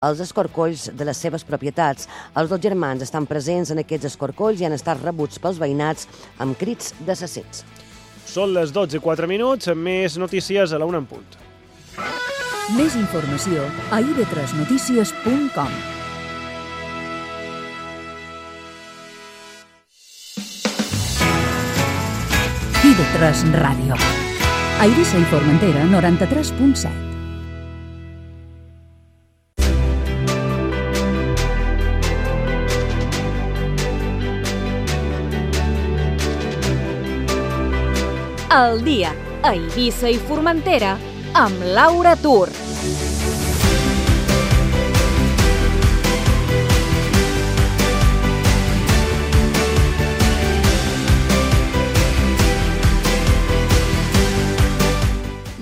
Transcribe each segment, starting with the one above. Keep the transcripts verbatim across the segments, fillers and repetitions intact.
els escorcolls de les seves propietats. Els dos germans estan presents en aquests escorcolls i han estat rebuts pels veïnats amb crits d'assassins. Són les dotze i quatre minuts, més notícies a la una en punt. Més informació a i ve tres notícies punt com. i ve tres Ràdio. A Eivissa i Formentera, noranta-tres punt set. El dia a Eivissa i Formentera amb Laura Tur.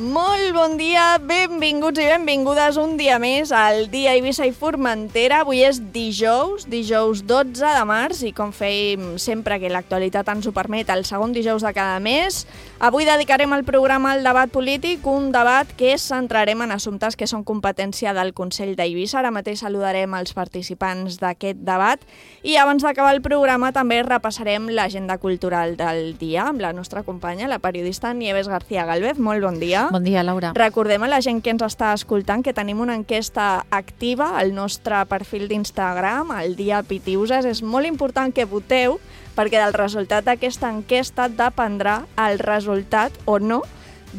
Molt bon dia, benvinguts i benvingudes un dia més al dia Eivissa i Formentera. Avui és dijous, dijous dotze de març i com fèiem sempre que l'actualitat ens ho permet, el segon dijous de cada mes. Avui dedicarem el programa al debat polític, un debat que centrarem en assumptes que són competència del Consell d'Eivissa. Ara mateix saludarem els participants d'aquest debat i abans d'acabar el programa també repassarem l'agenda cultural del dia amb la nostra companya, la periodista Nieves García Gálvez. Molt bon dia. Bon dia, Laura. Recordem a la gent que ens està escoltant que tenim una enquesta activa al nostre perfil d'Instagram, el dia Pitiuses. És molt important que voteu perquè del resultat d'aquesta enquesta dependrà el resultat o no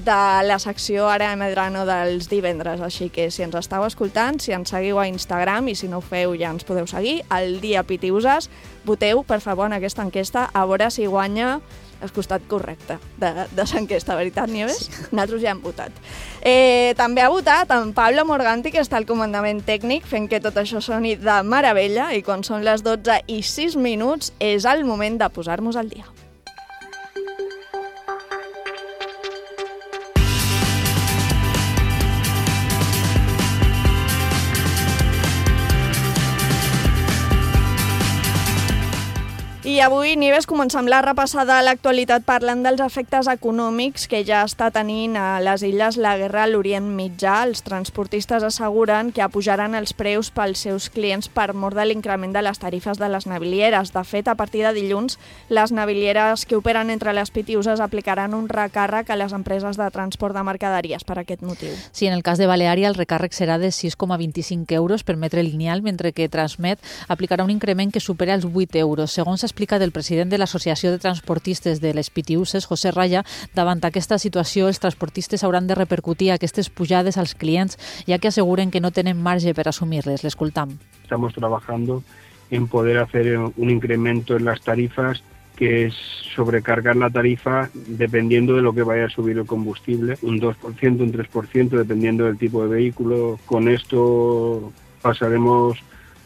de la secció Ara Medrano dels divendres. Així que si ens estàu escoltant, si ens seguiu a Instagram i si no ho feu ja ens podeu seguir, el dia Pitiuses, voteu per favor en aquesta enquesta a veure si guanya el costat correcte de, de l'enquesta, veritat, Nieves? Sí. Nosaltres ja hem votat. Eh, també ha votat en Pablo Morganti, que està al comandament tècnic, fent que tot això soni de meravella, i quan són les dotze i sis minuts és el moment de posar-nos al dia. I avui, Nieves, comencem la repassada a l'actualitat parlant dels efectes econòmics que ja està tenint a les illes la guerra a l'Orient Mitjà. Els transportistes asseguren que apujaran els preus pels seus clients per mor de l'increment de les tarifes de les navilieres. De fet, a partir de dilluns, les navilieres que operen entre les Pitiuses aplicaran un recàrrec a les empreses de transport de mercaderies per aquest motiu. Sí, en el cas de Baleària el recàrrec serà de sis coma vint-i-cinc euros per metre lineal, mentre que Transmet aplicarà un increment que supera els vuit euros. Segons s'explica del president de l'Associació de Transportistes de les Pitiuses, José Raya, davant aquesta situació els transportistes hauran de repercutir aquestes pujades als clients, ja que asseguren que no tenen marge per assumir-les. L'escoltam. Estamos trabajando en poder hacer un incremento en las tarifas, que es sobrecargar la tarifa dependiendo de lo que vaya a subir el combustible, un dos por ciento, un tres por ciento, dependiendo del tipo de vehículo. Con esto pasaremos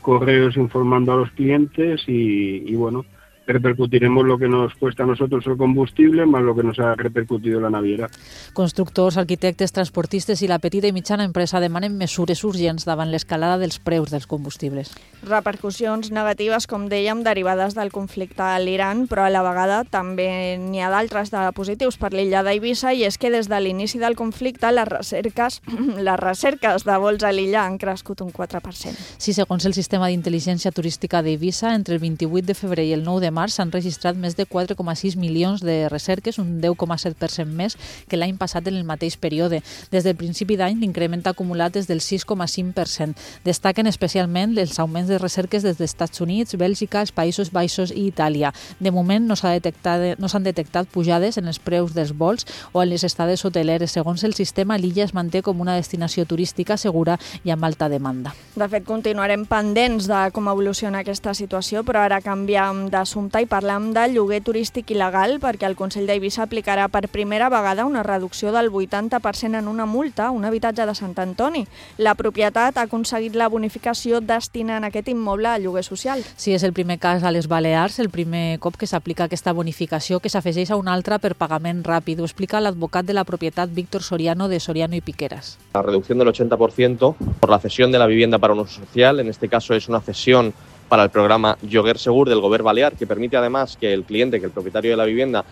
correos informando a los clientes y, y bueno, repercutiremos lo que nos cuesta a nosotros el combustible más lo que nos ha repercutido la naviera. Constructors, arquitectes, transportistes i la petita i mitjana empresa demanen mesures urgents davant l'escalada dels preus dels combustibles. Repercussions negatives, com dèiem, derivades del conflicte a l'Iran, però a la vegada també n'hi ha d'altres de positius per l'illa d'Eivissa, i és que des de l'inici del conflicte les recerques, les recerques de vols a l'illa han crescut un quatre per cent. Sí, segons el sistema d'intel·ligència turística d'Eivissa, entre el vint-i-vuit de febrer i el nou de març s'han registrat més de quatre coma sis milions de recerques, un deu coma set per cent més que l'any passat en el mateix període. Des del principi d'any, l'increment acumulat és del sis coma cinc per cent. Destaquen especialment els augments de recerques des dels Estats Units, Bèlgica, els Països Baixos i Itàlia. De moment no s'ha detectat, no s'han detectat pujades en els preus dels vols o en les estades hoteleres. Segons el sistema, l'illa es manté com una destinació turística segura i amb alta demanda. De fet, continuarem pendents de com evoluciona aquesta situació, però ara canviem d'assumpte i parlam de lloguer turístic il·legal, perquè el Consell d'Eivissa aplicarà per primera vegada una reducció del vuitanta per cent en una multa a un habitatge de Sant Antoni. La propietat ha aconseguit la bonificació destinant aquest immoble a lloguer social. Sí, és el primer cas a les Balears, el primer cop que s'aplica aquesta bonificació, que s'afegeix a una altra per pagament ràpid. Ho explica l'advocat de la propietat Víctor Soriano, de Soriano y Piqueras. La reducción del ochenta por ciento por la cesión de la vivienda para un uso social. En este caso es una cesión para el programa Lloguer Segur del Govern Balear, que permite además que el cliente, que el propietario de la vivienda,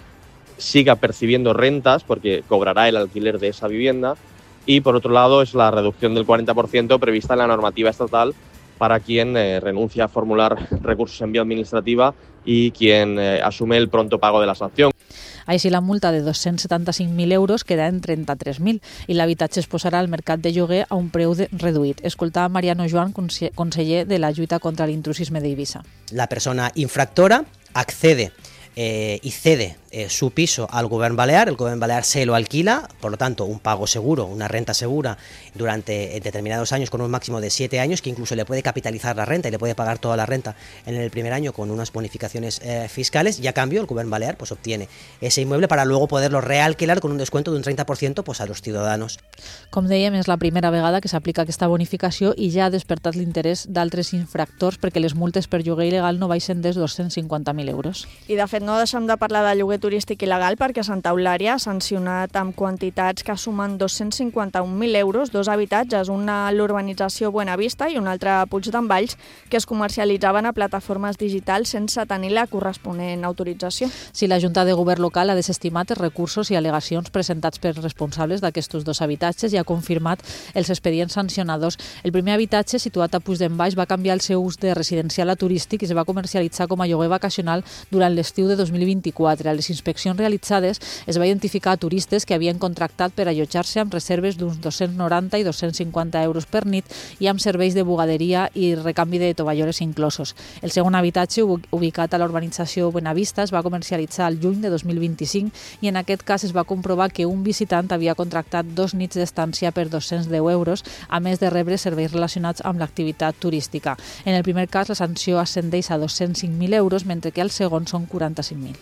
siga percibiendo rentas porque cobrará el alquiler de esa vivienda. y por otro lado es la reducción del cuarenta por ciento prevista en la normativa estatal para quien eh, renuncia a formular recursos en vía administrativa y quien eh, asume el pronto pago de la sanción. Així, la multa de dos-cents setanta-cinc mil euros queda en trenta-tres mil i l'habitatge es posarà al mercat de lloguer a un preu de, reduït. Escoltava Mariano Joan, conseller de la lluita contra l'intrusisme d'Eivissa. La persona infractora accede eh, y cede eh, su piso al Gobierno Balear, el Gobierno Balear se lo alquila, por lo tanto un pago seguro, una renta segura durante determinados años con un máximo de siete años, que incluso le puede capitalizar la renta y le puede pagar toda la renta en el primer año con unas bonificaciones eh, fiscales, y a cambio el Gobierno Balear pues obtiene ese inmueble para luego poderlo realquilar con un descuento de un treinta por ciento pues, a los ciudadanos. Com dèiem, és la primera vegada que s'aplica aquesta bonificació i ja ha despertat l'interès d'altres infractors perquè les multes per lloguer il·legal no baixen dels dos-cents cinquanta mil euros. I de fet no deixem de parlar de lloguer turístic il·legal perquè Santa Eulària ha sancionat amb quantitats que sumen dos-cents cinquanta-un mil euros dos habitatges, una a l'urbanització Buenavista i un altre a Puig d'en Valls, que es comercialitzaven a plataformes digitals sense tenir la corresponent autorització. Si la Junta de Govern local ha desestimat els recursos i al·legacions presentats per responsables d'aquests dos habitatges i ha confirmat els expedients sancionadors. El primer habitatge, situat a Puig d'en Valls, va canviar el seu ús de residencial a turístic i es va comercialitzar com a lloguer vacacional durant l'estiu de dos mil vint-i-quatre. A les inspeccions realitzades es va identificar turistes que havien contractat per allotjar-se amb reserves d'uns dos-cents noranta i dos-cents cinquanta euros per nit i amb serveis de bugaderia i recanvi de tovallores inclosos. El segon habitatge, ubicat a la urbanització Buenavista, es va comercialitzar al juny de dos mil vint-i-cinc i en aquest cas es va comprovar que un visitant havia contractat dos nits d'estància per dos-cents deu euros, a més de rebre serveis relacionats amb l'activitat turística. En el primer cas, la sanció ascendeix a dos-cents cinc mil euros, mentre que el segon són quaranta-cinc mil.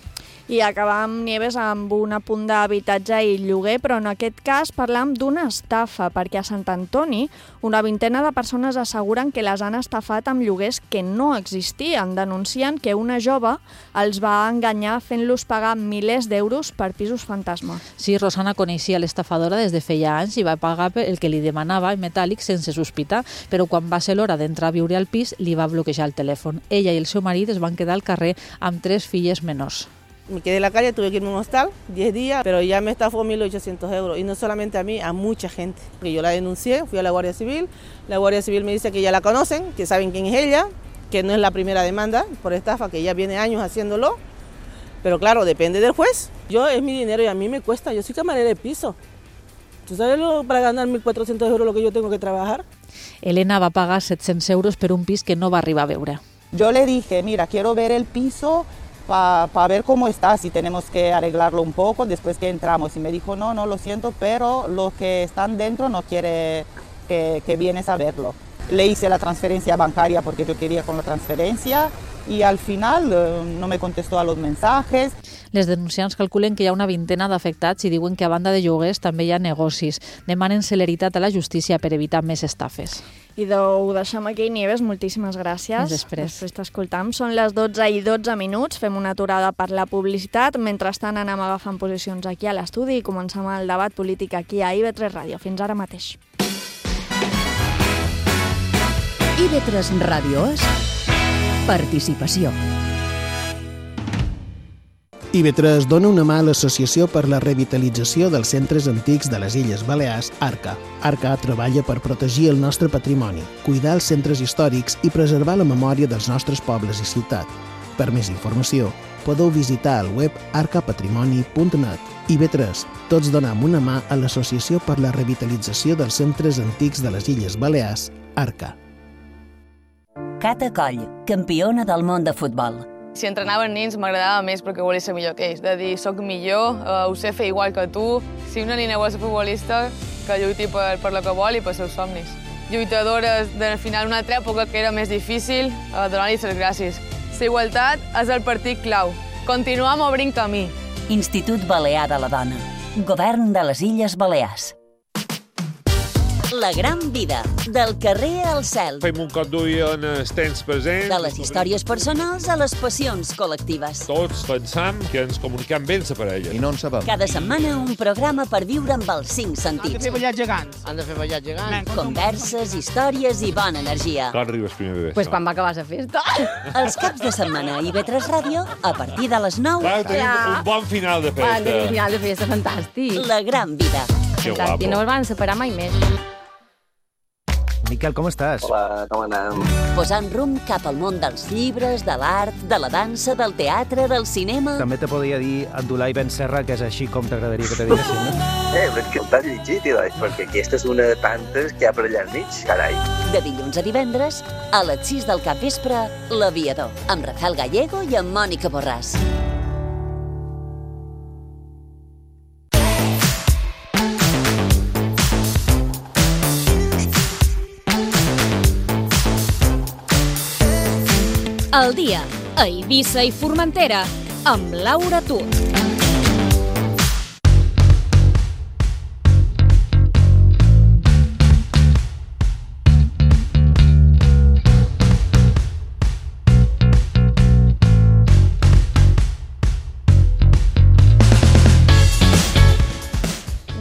I acabam, Nieves, amb un apunt d'habitatge i lloguer, però en aquest cas parlam d'una estafa, perquè a Sant Antoni una vintena de persones asseguren que les han estafat amb lloguers que no existien. Denuncien que una jove els va enganyar fent-los pagar milers d'euros per pisos fantasma. Sí, Rosana coneixia l'estafadora des de feia anys i va pagar el que li demanava en metàl·lic sense sospitar, però quan va ser l'hora d'entrar a viure al pis li va bloquejar el telèfon. Ella i el seu marit es van quedar al carrer amb tres filles menors. Me quedé en la calle, tuve que irme a un hostal, diez días, pero ya me estafó mil ochocientos euros. Y no solamente a mí, a mucha gente. Yo la denuncié, fui a la Guardia Civil. La Guardia Civil me dice que ya la conocen, que saben quién es ella, que no es la primera demanda por estafa, que ya viene años haciéndolo. Pero claro, depende del juez. Yo es mi dinero y a mí me cuesta. Yo soy camarera de piso. ¿Tú sabes lo, para ganar mil cuatrocientos euros lo que yo tengo que trabajar? Elena va pagar set-cents euros per un pis que no va arribar a veure. Yo le dije, mira, quiero ver el piso para pa ver cómo está, si tenemos que arreglarlo un poco después que entramos. Y me dijo, no, no, lo siento, pero los que están dentro no quiere que, que vienes a verlo. Le hice la transferencia bancaria porque yo quería con la transferencia y al final eh, no me contestó a los mensajes. Les denunciants calculen que hi ha una vintena d'afectats i diuen que a banda de lloguers també hi ha negocis. Demanen celeritat a la justícia per evitar més estafes. I ho deixem aquí, Nieves, moltíssimes gràcies. Fins després. Després t'escoltam. Són les dotze i dotze minuts, fem una aturada per la publicitat. Mentrestant anem agafant posicions aquí a l'estudi i comencem el debat polític aquí a I V tres Ràdio. Fins ara mateix. I V tres Ràdio és participació. I V tres dona una mà a l'Associació per la Revitalització dels Centres Antics de les Illes Balears, ARCA. ARCA treballa per protegir el nostre patrimoni, cuidar els centres històrics i preservar la memòria dels nostres pobles i ciutat. Per més informació, podeu visitar el web arca patrimoni punt net. I V tres, tots donem una mà a l'Associació per la Revitalització dels Centres Antics de les Illes Balears, ARCA. Cata Coll, campiona del món de futbol. Si entrenaven nins m'agradava més perquè volia ser millor que ells. De dir, soc millor, eh, ho sé fer igual que tu. Si una nina vol ser futbolista, que lluiti per, per lo que vol i per seus somnis. Lluitadores de final una altra època que era més difícil, eh, donar-li les gràcies. La igualtat és el partit clau. Continuem obrint camí. Institut Balear de la Dona. Govern de les Illes Balears. La gran vida, del carrer al cel. Fem un cop d'ull en els temps presents. De les històries personals a les passions col·lectives. Tots pensam que ens comuniquem bé la parella. I no en sabem. Cada setmana un programa per viure amb els cinc sentits. Han de fer ballar gegants. Han de fer ballar gegants. Converses, històries i bona energia. Quan arribes primer de Pues quan va acabar la festa. Els caps de setmana a I V tres Ràdio, a partir de les nou. Clar, tenim un bon final de festa. Un final de festa fantàstic. La gran vida. Que Exacte, guapo. i no es van separar mai més. Miquel, com estàs? Hola, com anem? Posant rumb cap al món dels llibres, de l'art, de la dansa, del teatre, del cinema... També te podria dir Abdulai Ben Serra, que és així com t'agradaria que te diguessin, no? Eh, però és que el t'has llegit, tio, perquè aquesta és una de tantes que hi ha per allà al mig, carai. De dilluns a divendres, a les sis del capvespre, L'Aviador, amb Rafael Gallego i amb Mònica Borràs. El dia a Eivissa i Formentera amb Laura Tur.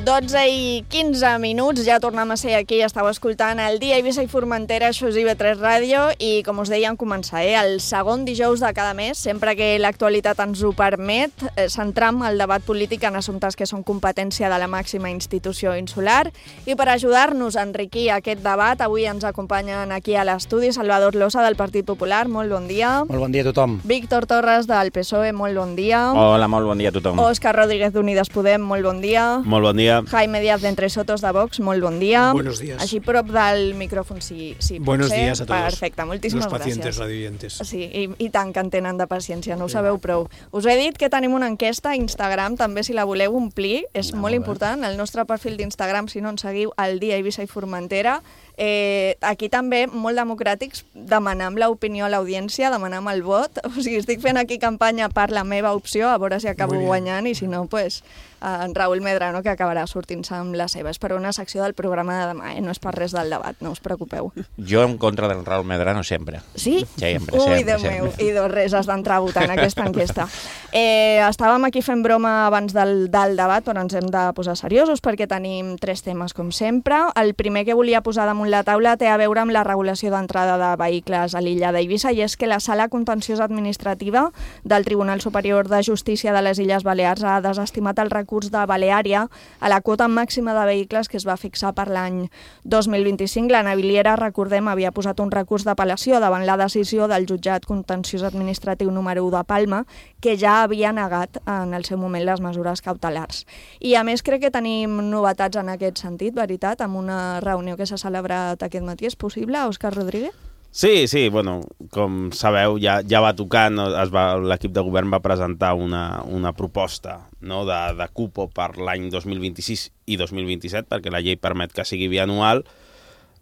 dotze i quinze minuts, ja tornem a ser aquí, estàu escoltant el dia Eivissa i Formentera, això és I V tres Ràdio, i com us dèiem, començar eh, el segon dijous de cada mes, sempre que l'actualitat ens ho permet, eh, centram el debat polític en assumptes que són competència de la màxima institució insular, i per ajudar-nos a enriquir aquest debat, avui ens acompanyen aquí a l'estudi Salvador Losa del Partit Popular, molt bon dia. Molt bon dia a tothom. Víctor Torres del P S O E, molt bon dia. Hola, molt bon dia a tothom. Òscar Rodríguez d'Unides Podem, molt bon dia. Molt bon dia. Jaime Díaz de Entre Sotos de Vox, molt bon dia. Buenos días. Així prop del micròfon, si, si Buenos pot ser. días a todos. Perfecte, moltíssimes los pacientes gràcies. radioyentes. Sí, i, i tant que en tenen de paciència, no ho sabeu prou. Us he dit que tenim una enquesta a Instagram, també si la voleu omplir, és no, molt important. El nostre perfil d'Instagram, si no ens seguiu, el dia Eivissa i Formentera. Eh, aquí també, molt democràtics, demanam l'opinió a l'audiència, demanam el vot. O sigui, estic fent aquí campanya per la meva opció, a veure si acabo guanyant, i si no, pues, en Raül Medrano, que acabarà sortint-se amb la seva. És per una secció del programa de demà, eh? No és per res del debat, no us preocupeu. Jo en contra del Raül Medrano sempre. Sí? Sempre, Ui, sempre, Déu sempre. meu, i dos res has d'entrar votant aquesta enquesta. Eh, estàvem aquí fent broma abans del, del debat, però ens hem de posar seriosos perquè tenim tres temes, com sempre. El primer que volia posar damunt la taula té a veure amb la regulació d'entrada de vehicles a l'illa d'Eivissa, i és que la Sala Contenciosa Administrativa del Tribunal Superior de Justícia de les Illes Balears ha desestimat el recurs de Baleària a la quota màxima de vehicles que es va fixar per l'any dos mil vint-i-cinc. La naviliera, recordem, havia posat un recurs d'apel·lació davant la decisió del Jutjat Contenciós Administratiu número u de Palma, que ja havia negat en el seu moment les mesures cautelars. I a més crec que tenim novetats en aquest sentit, veritat, amb una reunió que s'ha celebrat aquest matí. És possible, Òscar Rodríguez? Sí, sí, bueno, com sabeu, ja, ja va tocar, no, es va, l'equip de govern va presentar una, una proposta, no, de, de cupo per l'any dos mil vint-i-sis i dos mil vint-i-set, perquè la llei permet que sigui bianual.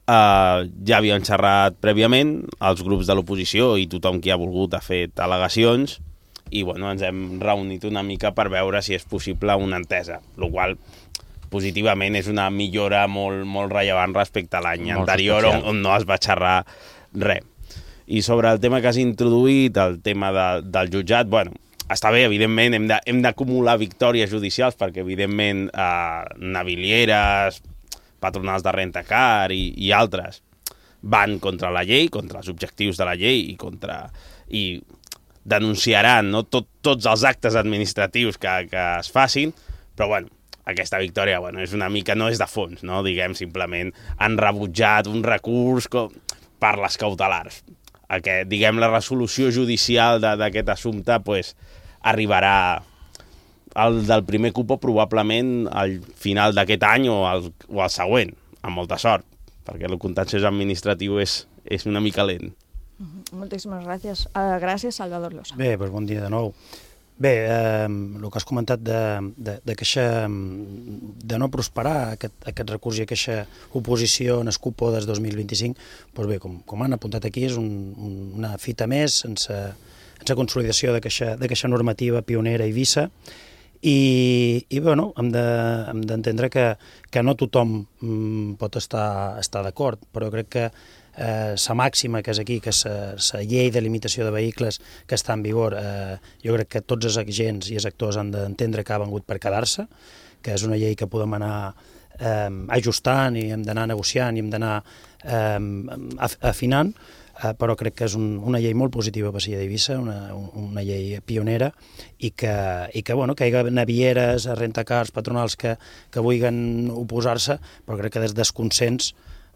Uh, ja havien xerrat prèviament els grups de l'oposició i tothom qui ha volgut ha fet al·legacions, i bueno, ens hem reunit una mica per veure si és possible una entesa, el qual positivament és una millora molt, molt rellevant respecte a l'any anterior, on, on no es va xerrar res. I sobre el tema que has introduït, el tema de, del jutjat, bueno, està bé, evidentment, hem de, hem d'acumular victòries judicials, perquè evidentment eh, navilieres, patronals de rentacar i, i altres van contra la llei, contra els objectius de la llei i contra... i denunciaran, no, tot, tots els actes administratius que, que es facin, però bueno, aquesta victòria, bueno, és una mica, no és de fons, no? Diguem, simplement han rebutjat un recurs com, per les cautelars. Aquest, diguem, la resolució judicial d'aquest assumpte pues, arribarà al del primer cupo probablement al final d'aquest any o al, o al següent, amb molta sort, perquè el contenciós administratiu és, és una mica lent. Moltíssimes gràcies. Uh, gràcies, Salvador Losa. Bé, doncs bon dia de nou. Bé, eh, el que has comentat de, de, de, queixa, de no prosperar aquest, aquest recurs i aquesta oposició en el cupo des dos mil vint-i-cinc, doncs bé, com, com han apuntat aquí, és un, un, una fita més sense, sense consolidació d'aquesta normativa pionera a Eivissa, i, i bueno, hem d'entendre de, que, que no tothom mm, pot estar, estar d'acord, però crec que la eh, màxima que és aquí, que és la llei de limitació de vehicles que està en vigor, eh, jo crec que tots els agents i els actors han d'entendre que ha vengut per quedar-se, que és una llei que podem anar eh, ajustant i hem d'anar negociant i hem d'anar eh, afinant. eh, però crec que és un, una llei molt positiva per Silla d'Eivissa, una, una llei pionera, i que, i que, bueno, que hi ha navieres, rentacars, patronals que, que vulguin oposar-se, però crec que des del consens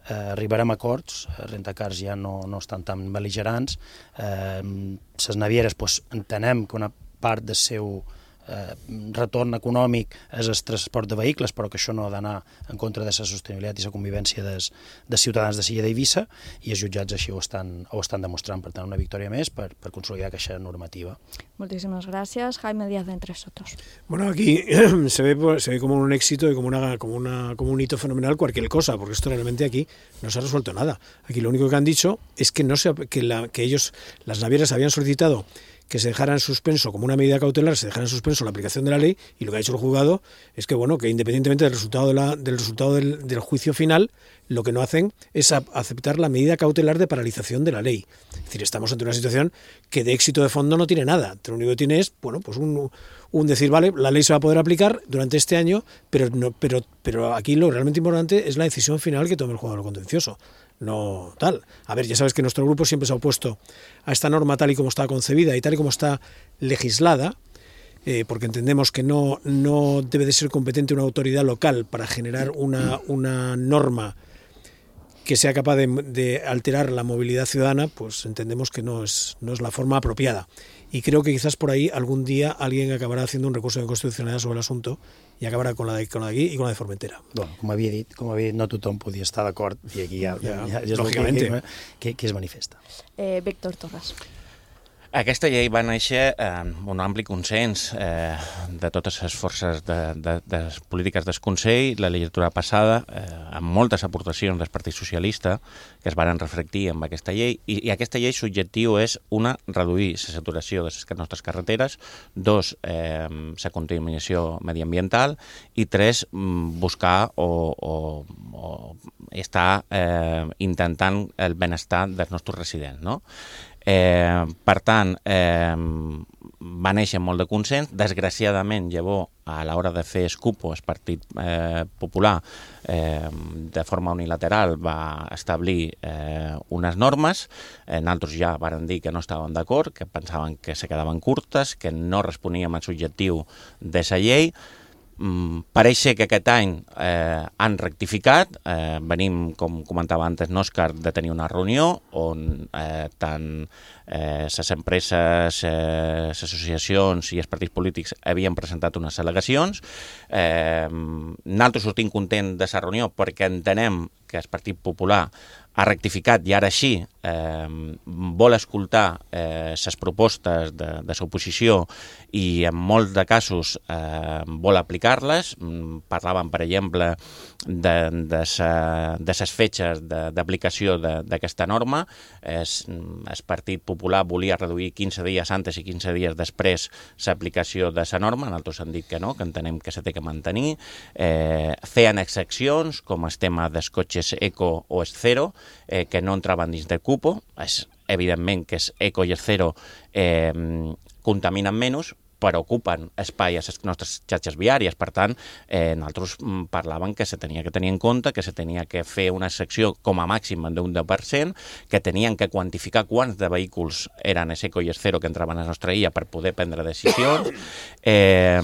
eh, arribarem a acords, rentacars ja no, no estan tan bel·ligerants, eh, les navieres pues, entenem que una part del seu eh, retorn econòmic és el transport de vehicles, però que això no ha d'anar en contra de la sostenibilitat i la convivència dels, dels ciutadans de Silla d'Eivissa, i els jutjats així ho estan, ho estan demostrant. Per tant, una victòria més per, per consolidar aquesta normativa. Muchísimas gracias. Jaime Díaz de Entre Sotos. Bueno, aquí se ve, se ve como un éxito y como, una, como, una, como un hito fenomenal cualquier cosa, porque esto realmente aquí no se ha resuelto nada. Aquí lo único que han dicho es que, no se, que, la, que ellos, las navieras, habían solicitado que se dejara en suspenso, como una medida cautelar, se dejara en suspenso la aplicación de la ley, y lo que ha hecho el juzgado es que, bueno, que independientemente del resultado, de la, del, resultado del, del juicio final, lo que no hacen es a, aceptar la medida cautelar de paralización de la ley. Es decir, estamos ante una situación que de éxito de fondo no tiene nada. Lo único que tiene es, bueno, pues un, un decir, vale, la ley se va a poder aplicar durante este año, pero, no, pero, pero aquí lo realmente importante es la decisión final que tome el juzgado contencioso. No tal. A ver, ya sabes que nuestro grupo siempre se ha opuesto a esta norma tal y como está concebida y tal y como está legislada, eh, porque entendemos que no, no debe de ser competente una autoridad local para generar una, una norma que sea capaz de, de alterar la movilidad ciudadana, pues entendemos que no es, no es la forma apropiada. Y creo que quizás por ahí algún día alguien acabará haciendo un recurso de inconstitucionalidad sobre el asunto i acabarà con la de, con la d'aquí i con la de Formentera. Bueno, com havia dit, com havia dit, no tothom podia estar d'acord, i aquí ja, ja, ja, ja és lògicament que, que, que es manifesta. Eh, Víctor Torres. Aquesta llei va néixer amb un ampli consens eh, de totes les forces de, de, de les polítiques del Consell, la legislatura passada, eh, amb moltes aportacions del Partit Socialista que es van reflectir amb aquesta llei, i, i aquesta llei l'objectiu és, una, reduir la saturació de les nostres carreteres, dos, eh, la contaminació mediambiental, i tres, buscar o, o, o estar eh, intentant el benestar dels nostres residents, no? Eh, per tant, eh, va néixer molt de consens. Desgraciadament, llavors, a l'hora de fer el cupo, el Partit eh, Popular, eh, de forma unilateral, va establir eh, unes normes. Eh, nosaltres ja varen dir que no estàvem d'acord, que pensaven que se quedaven curtes, que no responíem al objectiu de la llei. Mm, pareix ser que aquest any eh, han rectificat. Eh, venim, com comentava antes n'Òscar, de tenir una reunió on eh, tant eh, les empreses, eh, les associacions i els partits polítics havien presentat unes al·legacions. Eh, nosaltres sortim content de la reunió perquè entenem que el Partit Popular ha rectificat i ara sí eh, vol escoltar eh, les propostes de, de l'oposició i en molts de casos eh, vol aplicar-les. Parlaven, per exemple, de, de, sa, de les fetges d'aplicació d'aquesta norma. Es, el Partit Popular volia reduir quinze dies antes i quinze dies després l'aplicació de la norma. Nosaltres hem dit que no, que entenem que se té que mantenir. Eh, feien excepcions, com el tema dels cotxes eco o el zero, eh, que no entraven dins del cupo. És evidentment que és eco i el zero eh, contaminen menys, però ocupen espai a les nostres xarxes viàries. Per tant, eh, nosaltres parlàvem que se tenia que tenir en compte, que se tenia que fer una secció com a màxim d'un deu per cent, que tenien que quantificar quants de vehicles eren el eco i el zero que entraven a la nostra illa per poder prendre decisions. Eh,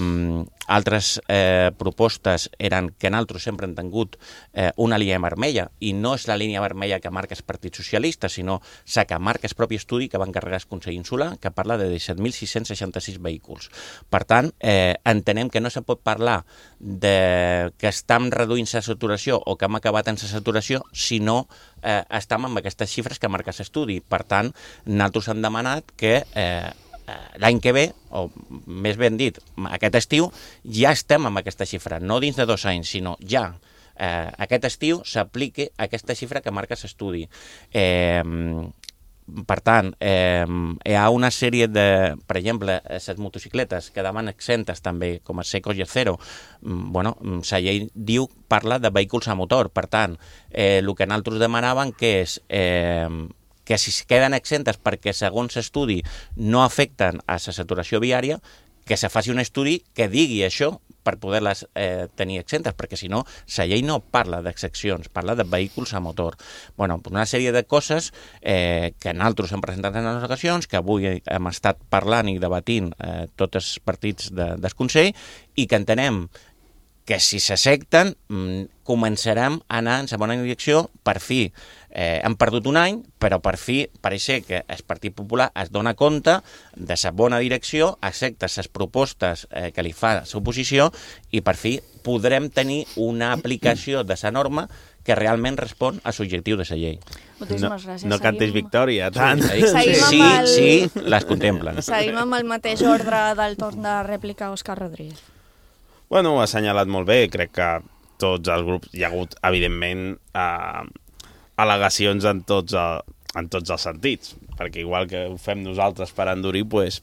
altres eh, propostes eren que nosaltres sempre hem tingut eh, una línia vermella, i no és la línia vermella que marca el Partit Socialista, sinó la que marca el propi estudi que va encarregar el Consell Insular, que parla de disset mil sis-cents seixanta-sis vehicles. Per tant, eh, entenem que no se pot parlar de que estem reduint la saturació o que hem acabat en la saturació si no eh, estem amb aquestes xifres que marca l'estudi. Per tant, nosaltres hem demanat que eh, l'any que ve, o més ben dit, aquest estiu, ja estem amb aquesta xifra, no dins de dos anys, sinó ja. Eh, aquest estiu s'apliqui aquesta xifra que marca l'estudi. Eh, Per tant, eh, hi ha una sèrie de, per exemple, les motocicletes quedaven exentes també, com els Eco i el Zero. Bueno, la llei diu, parla de vehicles a motor. Per tant, eh, el que nosaltres demanaven que és eh, que si queden exentes perquè, segons l'estudi, no afecten a la saturació viària, que se faci un estudi que digui això per poder-les eh, tenir exemptes, perquè si no, la llei no parla d'excepcions, parla de vehicles a motor. Bueno, una sèrie de coses eh, que nosaltres hem presentat en les ocasions, que avui hem estat parlant i debatint eh, tots els partits de, del Consell, i que entenem que si s'accepten començarem a anar en la bona direcció. Per fi eh, hem perdut un any, però per fi pareix que el Partit Popular es dona compte de la bona direcció, accepta les propostes eh, que li fa l'oposició i per fi podrem tenir una aplicació de la norma que realment respon a l'objectiu de la llei. Moltíssimes gràcies. No cantis victòria, tant. Sí, sí, el... sí, les contemplen. Seguim amb el mateix ordre del torn de rèplica Òscar Rodríguez. Bueno, ho ha assenyalat molt bé. Crec que tots els grups hi ha hagut, evidentment, eh, al·legacions en tots, el, en tots els sentits, perquè igual que ho fem nosaltres per endurir, pues,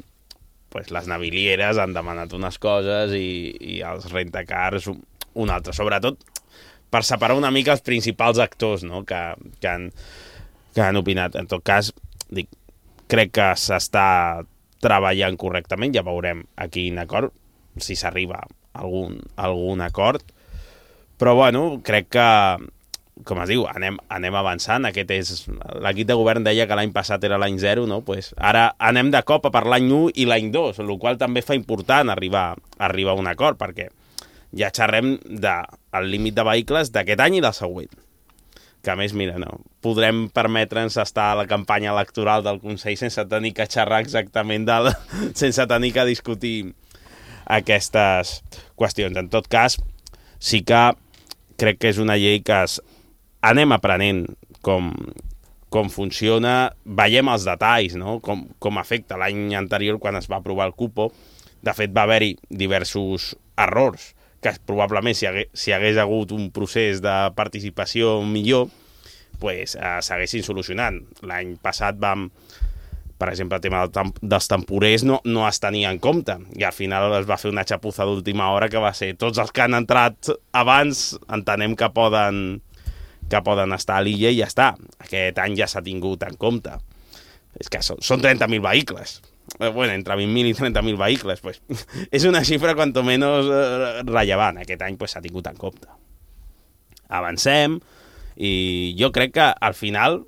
pues les navilieres han demanat unes coses i, i els rentacars un altre. Sobretot per separar una mica els principals actors, no?, que, que, han, que han opinat. En tot cas, dic, crec que s'està treballant correctament, ja veurem a quin acord, si s'arriba a algun, algun acord, però bueno, crec que, com es diu, anem, anem avançant. Aquest és... L'equip de govern deia que l'any passat era l'any zero, no? Pues ara anem de cop a per l'any u i l'any dos, el qual també fa important arribar, arribar a un acord, perquè ja xerrem del límit de vehicles d'aquest any i del següent. Que a més, mira, no, podrem permetre'ns estar a la campanya electoral del Consell sense tenir que xerrar exactament del... sense tenir que discutir aquestes qüestions. En tot cas, sí que crec que és una llei que es... anem aprenent com, com funciona, veiem els detalls, no?, com, com afecta. L'any anterior, quan es va aprovar el cupo, de fet va haver-hi diversos errors, que probablement si hagués, si hagués hagut un procés de participació millor, pues, eh, s'haguessin solucionat. L'any passat vam... Per exemple, el tema del temp dels temporers no, no es tenia en compte i al final es va fer una xapuza d'última hora que va ser tots els que han entrat abans entenem que poden, que poden estar a l'illa i ja està. Aquest any ja s'ha tingut en compte. És que són, són trenta mil vehicles. Bueno, entre vint mil i trenta mil vehicles. Pues, és una xifra cuanto menos eh, rellevant. Aquest any s'ha pues, tingut en compte. Avancem i jo crec que al final...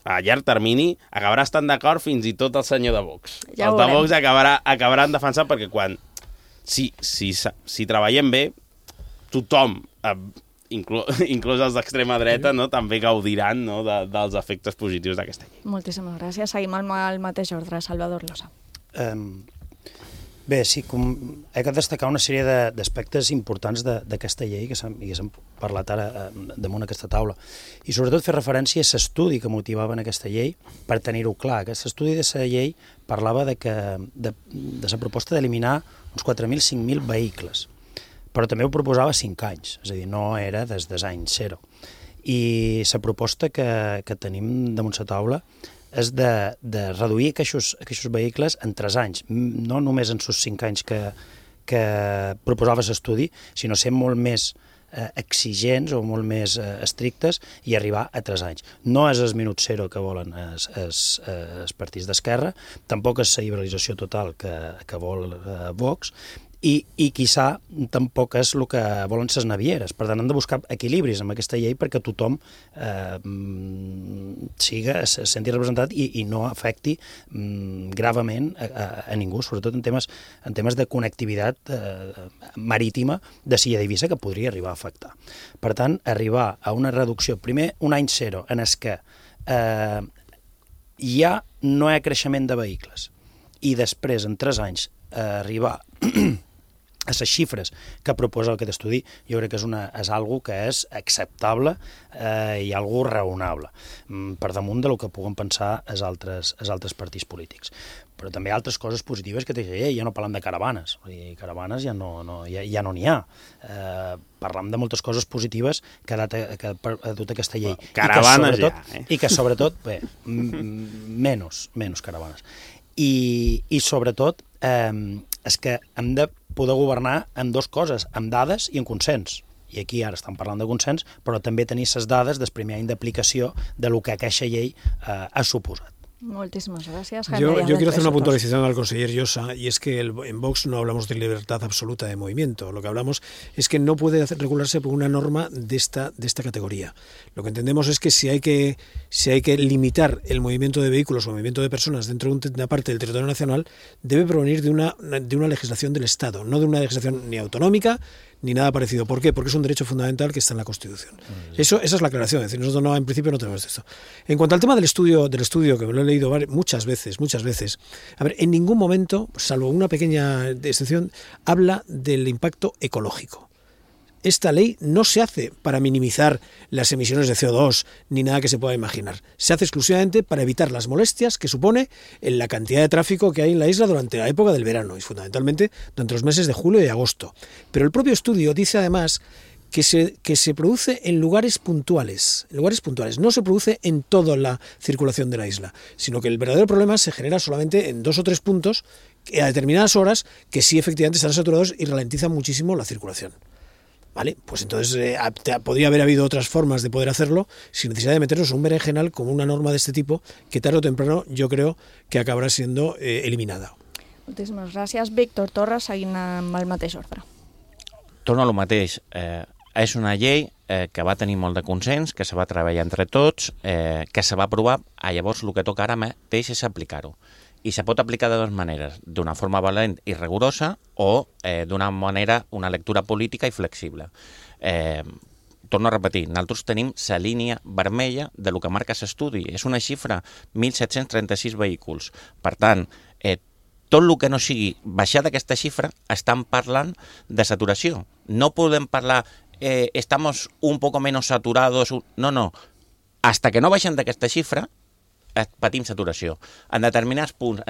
a llarg termini, acabarà estant d'acord fins i tot el senyor de Vox. Ja el de Vox acabarà, acabaran defensant perquè quan... Si, si, si treballem bé, tothom, eh, inclú, inclús els d'extrema dreta, no, també gaudiran, no, de, dels efectes positius d'aquesta llei. Moltíssimes gràcies. Seguim al, al mateix ordre. Salvador Losa. Um, bé, sí, com he de destacar una sèrie d'aspectes importants d'aquesta llei que s'han parlat ara eh, damunt aquesta taula. I sobretot fer referència a l'estudi que motivava en aquesta llei per tenir-ho clar. Aquest estudi de la llei parlava de, que, de, de la proposta d'eliminar uns quatre mil, cinc mil vehicles, però també ho proposava cinc anys, és a dir, no era des dels anys zero. I la proposta que, que tenim damunt la taula és de, de reduir aquests, aquests vehicles en tres anys, no només en els cinc anys que, que proposava l'estudi, sinó ser molt més eh, exigents o molt més eh, estrictes i arribar a tres anys. No és el minut zero que volen els, els, els partits d'esquerra, tampoc és la liberalització total que, que vol eh, Vox, i, i quizà tampoc és el que volen les navieres. Per tant, hem de buscar equilibris amb aquesta llei perquè tothom eh, siga, se senti representat i, i no afecti mm, gravament a, a, a ningú, sobretot en temes, en temes de connectivitat eh, marítima de Silla d'Eivissa que podria arribar a afectar. Per tant, arribar a una reducció, primer un any zero, en el que eh, ja no hi ha creixement de vehicles i després, en tres anys, eh, arribar a les xifres que proposa aquest estudi, jo crec que és, una, és algo que és acceptable eh, i algo raonable, per damunt del que puguen pensar els altres, els altres partits polítics. Però també hi ha altres coses positives que té la llei, ja no parlem de caravanes, i caravanes ja no n'hi no, ja, ja no ha. Eh, parlem de moltes coses positives que ha dat, que ha dut aquesta llei. Bueno, caravanes I que, ja, eh? I que sobretot, bé, menys, menys caravanes. I, i sobretot eh, és que hem de poder governar amb dues coses, amb dades i amb consens. I aquí ara estem parlant de consens, però també tenir les dades del primer any d'aplicació de lo que aquesta llei eh, ha suposat. Muchísimas gracias, Jaime. Yo, yo quiero hacer una puntualización al conseller Llosa, y es que el, en Vox no hablamos de libertad absoluta de movimiento. Lo que hablamos es que no puede hacer, regularse por una norma de esta, de esta categoría. Lo que entendemos es que si hay que, si hay que limitar el movimiento de vehículos o el movimiento de personas dentro de una parte del territorio nacional, debe provenir de una, de una legislación del Estado, no de una legislación ni autonómica ni nada parecido. ¿Por qué? Porque es un derecho fundamental que está en la Constitución. Eso, esa es la aclaración. Es decir, nosotros no, en principio no tenemos esto. En cuanto al tema del estudio, del estudio que me lo he leído muchas veces, muchas veces, a ver, en ningún momento, salvo una pequeña excepción, habla del impacto ecológico. Esta ley no se hace para minimizar las emisiones de C O dos ni nada que se pueda imaginar. Se hace exclusivamente para evitar las molestias que supone en la cantidad de tráfico que hay en la isla durante la época del verano y fundamentalmente durante los meses de julio y agosto. Pero el propio estudio dice además que se, que se produce en lugares puntuales, en lugares puntuales, no se produce en toda la circulación de la isla, sino que el verdadero problema se genera solamente en dos o tres puntos a determinadas horas que sí efectivamente están saturados y ralentizan muchísimo la circulación. Vale, pues entonces eh, podría haber habido otras formas de poder hacerlo sin necesidad de meternos en un berenjenal con una norma de este tipo que tarde o temprano yo creo que acabará siendo eh, eliminada. Moltíssimes gràcies. Víctor Torres, seguint amb el mateix ordre. Torno a lo mateix. Eh, és una llei eh, que va tenir molt de consens, que se va treballar entre tots, eh, que se va aprovar, ah, llavors el que toca ara mateix és aplicar-ho. I se pot aplicar de dues maneres, d'una forma valent i rigorosa o eh, d'una manera, una lectura política i flexible. Eh, torno a repetir, nosaltres tenim la línia vermella de lo que marca l'estudi. És una xifra, mil set-cents trenta-sis vehicles. Per tant, eh, tot el que no sigui baixar d'aquesta xifra, estan parlant de saturació. No podem parlar, eh, estamos un poco menos saturados, no, no. Hasta que no baixen d'aquesta xifra, patim saturació. En determinats punts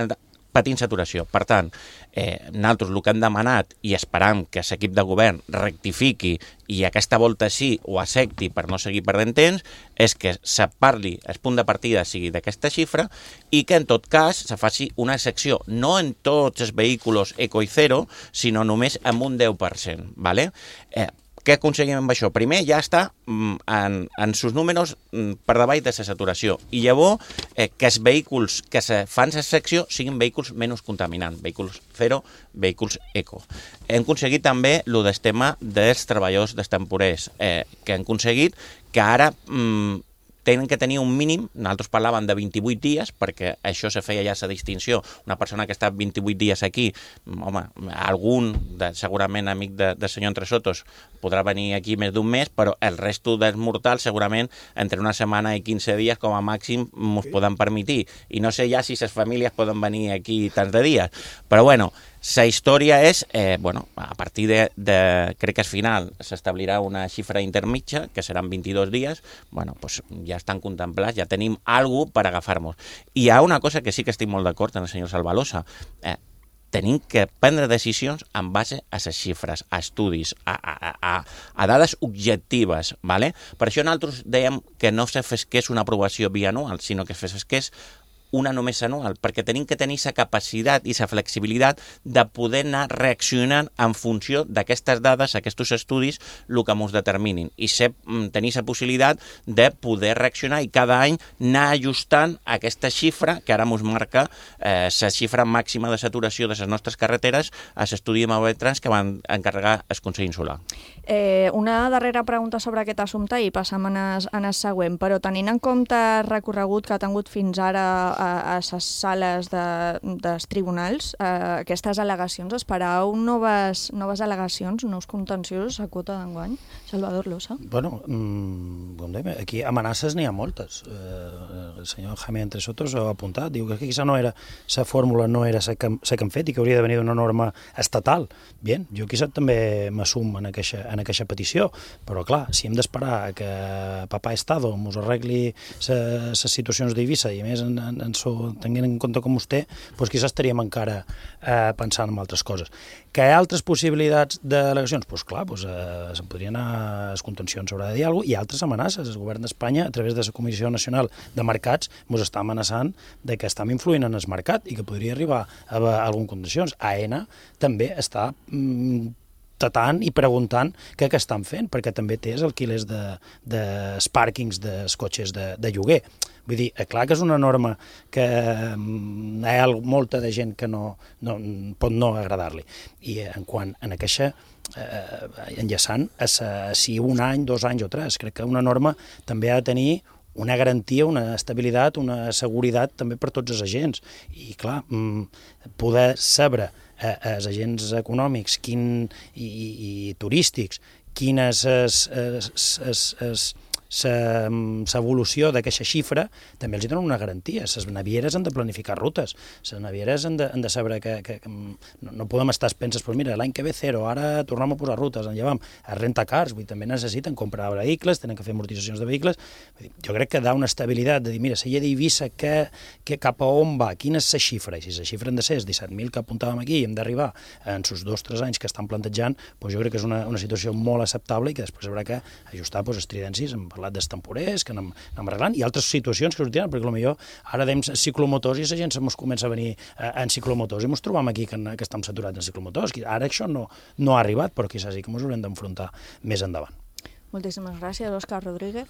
patim saturació. Per tant, eh, nosaltres el que hem demanat i esperam que l'equip de govern rectifiqui i aquesta volta sí ho accepti per no seguir perdent temps, és que se parli, el punt de partida sigui d'aquesta xifra i que en tot cas se faci una secció, no en tots els vehicles eco i zero, sinó només amb un deu per cent. ¿Vale? Eh, Què aconseguim amb això? Primer, ja està en, en sus números per davall de la saturació. I llavors, eh, que els vehicles que se fan la secció siguin vehicles menys contaminants, vehicles zero, vehicles eco. Hem aconseguit també el del tema dels treballadors dels temporers, eh, que hem aconseguit que ara mm, tenen que tenir un mínim, nosaltres parlàvem de vint-i-vuit dies, perquè això se feia ja la distinció, una persona que està vint-i-vuit dies aquí, home, algun, de, segurament amic de, de senyor Entresotos, podrà venir aquí més d'un mes, però el resto dels mortals segurament entre una setmana i quinze dies com a màxim ens poden permetir, i no sé ja si les famílies poden venir aquí tants de dies, però bueno, la història és, eh, bueno, a partir de, de crec que al final s'establirà una xifra intermitja, que seran vint-i-dos dies, bueno, pues ja estan contemplats, ja tenim alguna cosa per agafar-nos. I hi ha una cosa que sí que estic molt d'acord amb el senyor Salvalosa, eh, tenim que prendre decisions en base a les xifres, a estudis, a, a, a, a dades objectives, ¿vale? Per això nosaltres dèiem que no se fes que és una aprovació bianual, sinó que fes que és una només anual, perquè tenim que tenir la capacitat i la flexibilitat de poder anar reaccionant en funció d'aquestes dades, aquests estudis, el que ens determinin, i ser, tenir la possibilitat de poder reaccionar i cada any anar ajustant aquesta xifra que ara ens marca eh, la xifra màxima de saturació de les nostres carreteres a l'estudi de Mauvetrans que van encarregar el Consell Insular. Eh, una darrera pregunta sobre aquest assumpte i passam en el, en el següent, però tenint en compte el recorregut que ha tingut fins ara a les sales de, dels tribunals, eh, aquestes al·legacions, esperau noves, noves al·legacions, nous contenciosos a quota d'enguany? Salvador Losa. Bueno, mmm, com dèiem, aquí amenaces n'hi ha moltes. Eh, el senyor Jaime Entresotos ho ha apuntat, diu que aquesta no era, la fórmula no era la que, que hem fet i que hauria de venir d'una norma estatal. Bien, jo quizá també m'assum en aquesta, en aquesta petició, però clar, si hem d'esperar que papà Estado ens arregli les situacions d'Eivissa i a més en, en, en so, tenint en compte com vostè, doncs quizás estaríem encara eh, pensant en altres coses. Que hi ha altres possibilitats d'al·legacions? Doncs clar, doncs, eh, se'n podrien anar a les contencions, s'haurà de dir alguna cosa, i altres amenaces. El govern d'Espanya, a través de la Comissió Nacional de Mercats, ens està amenaçant de que estem influint en el mercat i que podria arribar a, a algunes condicions. A ENA també està mm, tatant i preguntant què que estan fent, perquè també tens alquilers de, de pàrquings dels cotxes de, de lloguer. Vull dir, clar que és una norma que hi ha molta de gent que no, no pot no agradar-li. I en quant a aquesta eh, enllaçant, a si un any, dos anys o tres, crec que una norma també ha de tenir una garantia, una estabilitat, una seguretat també per tots els agents. I clar, poder saber eh, els agents econòmics quin, i, i, i turístics quines és, és, és, és l'evolució d'aquesta xifra, també els donen una garantia. Les navieres han de planificar rutes, les navieres han de, han de saber que, que, que no, no podem estar penses, pues mira, l'any que ve zero, ara tornem a posar rutes, en llevam, a rentacars, vull dir, també necessiten comprar vehicles, tenen que fer amortitzacions de vehicles. Vull dir, jo crec que da una estabilitat de dir, mira, si hi ha d'Eivissa, que, que cap a on va, quina és la xifra, i si la xifra han de ser els disset mil que apuntàvem aquí i hem d'arribar en els dos o tres anys que estan plantejant, doncs jo crec que és una, una situació molt acceptable i que després haurà que ajustar doncs, els tridencis, hem parlat dels temporers, que anem, anem arreglant, i altres situacions que sortiran, perquè potser ara dèiem ciclomotors i la gent ens comença a venir eh, en ciclomotors i ens trobam aquí que, que estem saturats en ciclomotors. Ara això no, no ha arribat, però quizás sí que ens haurem d'enfrontar més endavant. Moltíssimes gràcies, Òscar Rodríguez.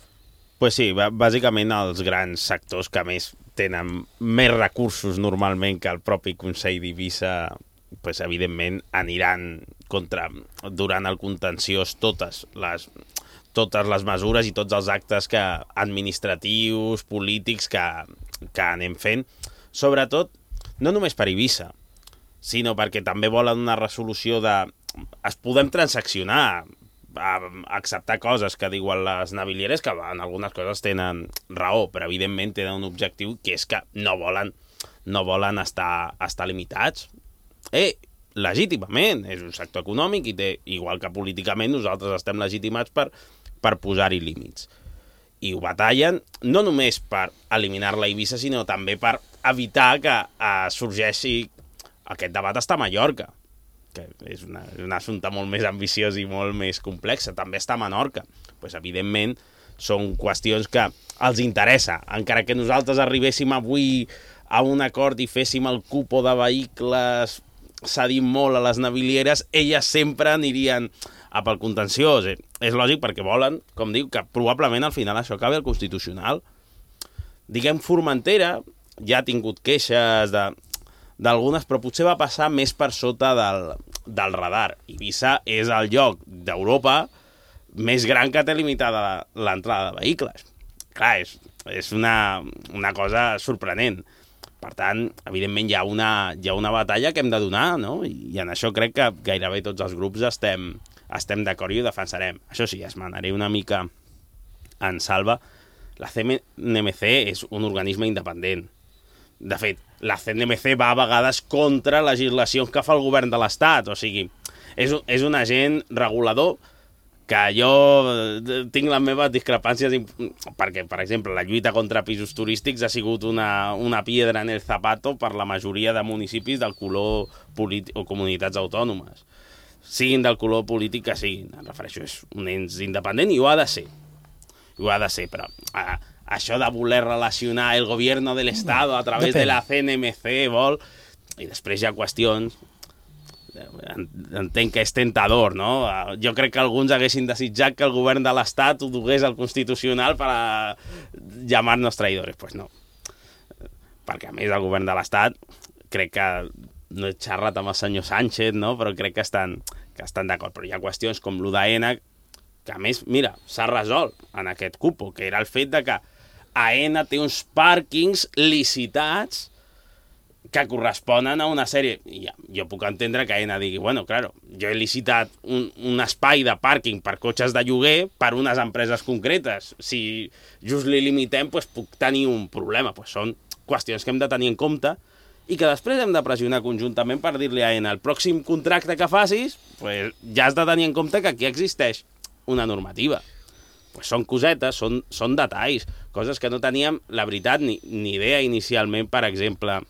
Pues sí, bàsicament els grans sectors que més tenen més recursos normalment que el propi Consell d'Eivissa, pues, evidentment aniran contra, durant el contenciós, totes les totes les mesures i tots els actes que, administratius, polítics que, que anem fent, sobretot, no només per Eivissa, sinó perquè també volen una resolució de... Es podem transaccionar, a acceptar coses que diuen les navilieres, que en algunes coses tenen raó, però evidentment tenen un objectiu que és que no volen, no volen estar, estar limitats. Eh, legítimament, és un sector econòmic i té, igual que políticament nosaltres estem legitimats per per posar-hi límits. I ho batallen no només per eliminar-la a Eivissa, sinó també per evitar que eh, sorgeixi aquest debat està a Mallorca, que és una, un assumpte molt més ambiciós i molt més complex. També està a Menorca. Pues, evidentment, són qüestions que els interessa. Encara que nosaltres arribéssim avui a un acord i féssim el cupo de vehicles cedint molt a les navilieres, elles sempre anirien a pel contenciós. És lògic perquè volen, com diu, que probablement al final això acabi al Constitucional. Diguem, Formentera ja ha tingut queixes de, d'algunes, però potser va passar més per sota del, del radar. Eivissa és el lloc d'Europa més gran que té limitada l'entrada de vehicles. Clar, és, és una, una cosa sorprenent. Per tant, evidentment, hi ha una, hi ha una batalla que hem de donar, no? I en això crec que gairebé tots els grups estem, estem d'acord i ho defensarem. Això sí, esmenaré una mica en Salva. La C N M C és un organisme independent. De fet, la C N M C va a vegades contra legislacions que fa el govern de l'Estat. O sigui, és, és un agent regulador que jo tinc les meves discrepàncies perquè, per exemple, la lluita contra pisos turístics ha sigut una, una piedra en el zapato per la majoria de municipis del color polític o comunitats autònomes. Siguin del color polític que siguin. Em refereixo, és un ens independent i ho ha de ser. I ho ha de ser, però a, això de voler relacionar el gobierno de l'Estado a través Depèn. de la C N M C, vol... I després hi ha qüestions... Entenc que és tentador, no? Jo crec que alguns haguessin desitjat que el govern de l'Estat ho dugués al Constitucional per a llamar-nos traïdores. Pues no. Perquè, a més, el govern de l'Estat crec que no he xerrat amb el senyor Sánchez, no? Però crec que estan, que estan d'acord. Però hi ha qüestions com l'U D A N que, a més, mira, s'ha resolt en aquest cupo, que era el fet de que AENA té uns pàrquings licitats que corresponen a una sèrie... I ja, jo puc entendre que AENA digui, bueno, claro, jo he licitat un, un espai de pàrquing per cotxes de lloguer per unes empreses concretes. Si just li limitem, pues, puc tenir un problema. Pues són qüestions que hem de tenir en compte i que després hem de pressionar conjuntament per dir-li a AENA el pròxim contracte que facis, pues, ja has de tenir en compte que aquí existeix una normativa. Pues són cosetes, són, són detalls, coses que no teníem, la veritat, ni, ni idea inicialment, per exemple...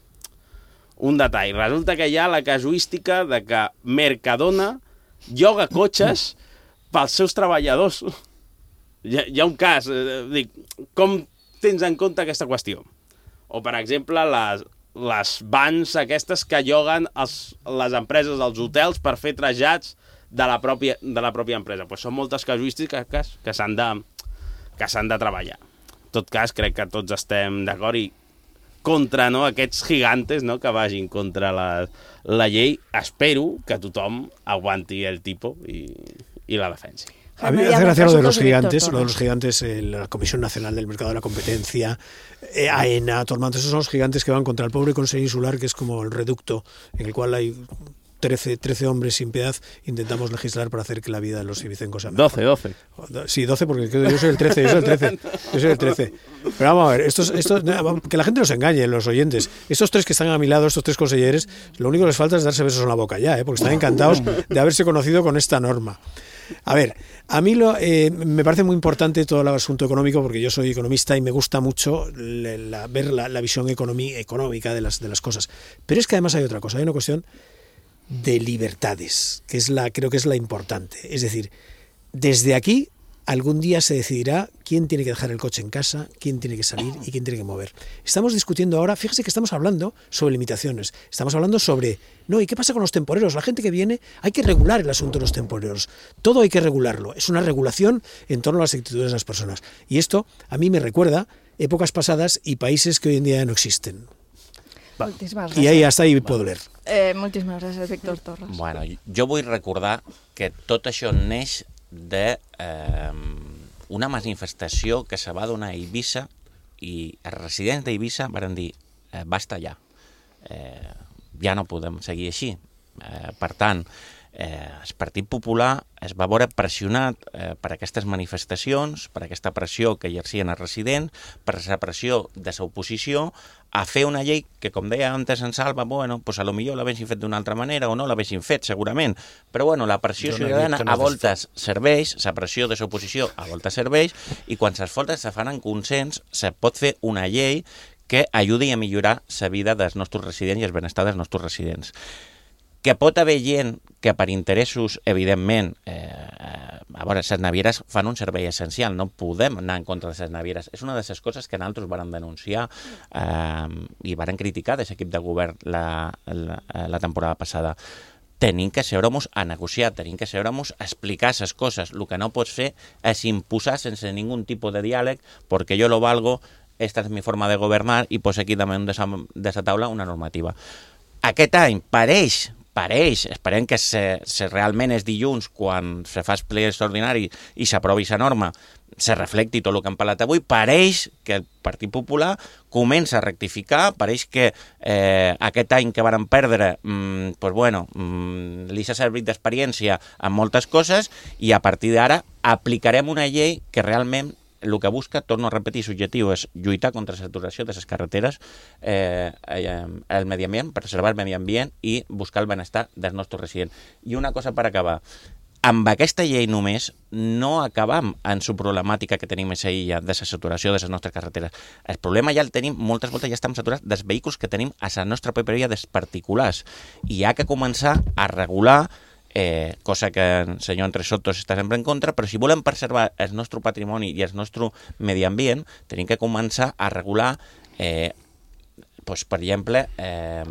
Un detall. Resulta que hi ha la casuística de que Mercadona lloga cotxes pels seus treballadors. Hi ha, hi ha un cas. Eh, dic, com tens en compte aquesta qüestió? O, per exemple, les, les vans aquestes que lloguen els, les empreses dels hotels per fer trasllats de la pròpia, de la pròpia empresa. Pues són moltes casuístiques que, que s'han de, que s'han de treballar. En tot cas, crec que tots estem d'acord i contra, no, aquests gigantes, no, que vagin contra la, la llei. Espero que tothom aguanti el tipo i, i la defensi. A mí me hace gracia lo de los gigantes, lo de los gigantes, eh, la Comisión Nacional del Mercado de la Competencia, eh, AENA, Tormento, esos son los gigantes que van contra el pobre Consejo Insular, que es como el reducto en el cual hay trece, trece hombres sin piedad, intentamos legislar para hacer que la vida de los ibicencos sea mejor. doce, doce. Sí, doce, porque yo soy el trece, yo soy el trece, yo soy el trece. Pero vamos a ver, estos, estos, que la gente nos engañe, los oyentes. Estos tres que están a mi lado, estos tres consejeros, lo único que les falta es darse besos en la boca ya, ¿eh? Porque están encantados de haberse conocido con esta norma. A ver, a mí lo, eh, me parece muy importante todo el asunto económico porque yo soy economista y me gusta mucho la, la, ver la, la visión economi, económica de las, de las cosas. Pero es que además hay otra cosa, hay una cuestión de libertades, que es la, creo que es la importante. Es decir, desde aquí algún día se decidirá quién tiene que dejar el coche en casa, quién tiene que salir y quién tiene que mover. Estamos discutiendo ahora, fíjese que estamos hablando sobre limitaciones, estamos hablando sobre, no, ¿y qué pasa con los temporeros? La gente que viene, hay que regular el asunto de los temporeros, todo hay que regularlo, es una regulación en torno a las actitudes de las personas. Y esto a mí me recuerda épocas pasadas y países que hoy en día ya no existen. I ahí, hasta ahí puedo leer. Eh, moltíssimes gràcies, Víctor Torres. Bueno, jo vull recordar que tot això neix de eh, una manifestació que se va donar a Eivissa i els residents d'Eivissa van dir eh, basta ja, eh, ja no podem seguir així. Eh, per tant, eh, el Partit Popular es va veure pressionat eh, per aquestes manifestacions, per aquesta pressió que exercien els residents, per la pressió de l'oposició, a fer una llei que, com deia antes en Salva, bueno, pues a lo millor l'haguessin fet d'una altra manera o no l'haguessin fet, segurament. Però bueno, la pressió no ciutadana no a voltes serveix, la pressió de l'oposició a voltes serveix, i quan les voltes se fan en consens, se pot fer una llei que ajudi a millorar la vida dels nostres residents i el benestar dels nostres residents. Que pot haver gent que per interessos, evidentment, eh, a veure, les navieres fan un servei essencial, no podem anar en contra de les navieres. És una de les coses que nosaltres vàrem denunciar eh, i vàrem criticar de l'equip de govern la, la, la temporada passada. Tenim que seure-nos a negociar, tenim que seure-nos a explicar les coses. El que no pots fer és imposar sense ningú tipus de diàleg, perquè jo lo valgo, esta és mi forma de governar i poso aquí damunt de la taula una normativa. Aquest any pareix pareix, esperem que se, se realment és dilluns quan se fa el ple extraordinari i s'aprovi la norma, se reflecti tot el que hem parlat avui, pareix que el Partit Popular comença a rectificar, pareix que eh, aquest any que varen perdre mmm, pues bueno, mmm, li s'ha servit d'experiència en moltes coses i a partir d'ara aplicarem una llei que realment el que busca, torno a repetir, l'objectiu és lluitar contra la saturació de les carreteres, eh, eh, el medi ambient, preservar el medi ambient i buscar el benestar dels nostres residents. I una cosa per acabar, amb aquesta llei només no acabam en la problemàtica que tenim a la illa de la saturació de les nostres carreteres. El problema ja el tenim, moltes voltes ja estem saturats dels vehicles que tenim a la nostra pròpia via dels particulars i hi ha que començar a regular Eh, cosa que el senyor Entre Sotos està sempre en contra, però si volem preservar el nostre patrimoni i el nostre medi ambient, tenim que començar a regular, eh, pues, per exemple, eh,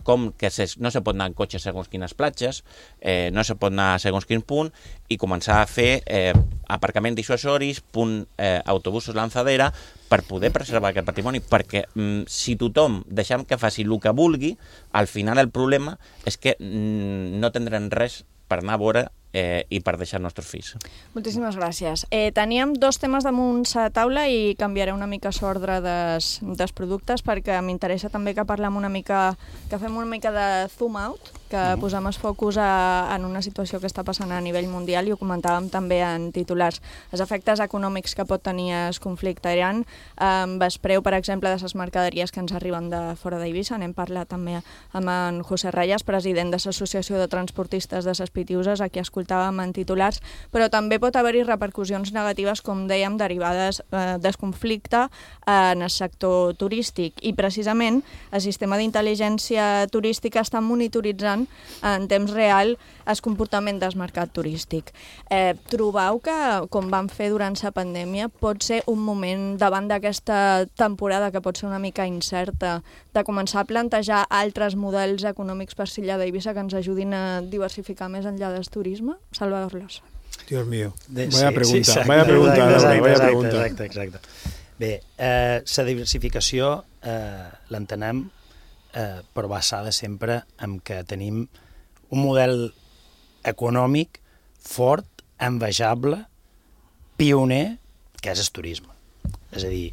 com que se, no se pot anar en cotxe segons quines platges, eh, no se pot anar segons quin punt, i començar a fer eh, aparcament dissuasoris, punt eh, autobusos lanzadera, per poder preservar aquest patrimoni, perquè mm, si tothom deixem que faci el que vulgui, al final el problema és que mm, no tindrem res per anar a veure eh, i per deixar els nostres fills. Moltíssimes gràcies. Eh, teníem dos temes damunt la taula i canviaré una mica l'ordre des, dels productes perquè m'interessa també que parlem una mica, que fem una mica de zoom out, que uh-huh. posem el focus a, en una situació que està passant a nivell mundial i ho comentàvem també en titulars. Els efectes econòmics que pot tenir el conflicte Iran, amb el preu, per exemple, de les mercaderies que ens arriben de fora d'Eivissa. N'hem parlat també amb en José Reyes, president de l'Associació de Transportistes de les Pitiuses, a qui escoltàvem en titulars, però també pot haver-hi repercussions negatives, com dèiem, derivades eh, del conflicte en el sector turístic. I precisament el sistema d'intel·ligència turística està monitoritzant veient en temps real el comportament del mercat turístic. Eh, trobeu que, com van fer durant la pandèmia, pot ser un moment, davant d'aquesta temporada que pot ser una mica incerta, de començar a plantejar altres models econòmics per l'illa d'Eivissa que ens ajudin a diversificar més enllà del turisme? Salvador Losa. Dios mío, De, vaya sí, pregunta, sí, exacte, vaya pregunta, exacte, Laura, vaya exacte, pregunta. Exacte, exacte. Bé, eh, la diversificació eh, l'entenem eh, però basada sempre en que tenim un model econòmic fort, envejable, pioner, que és el turisme. És a dir,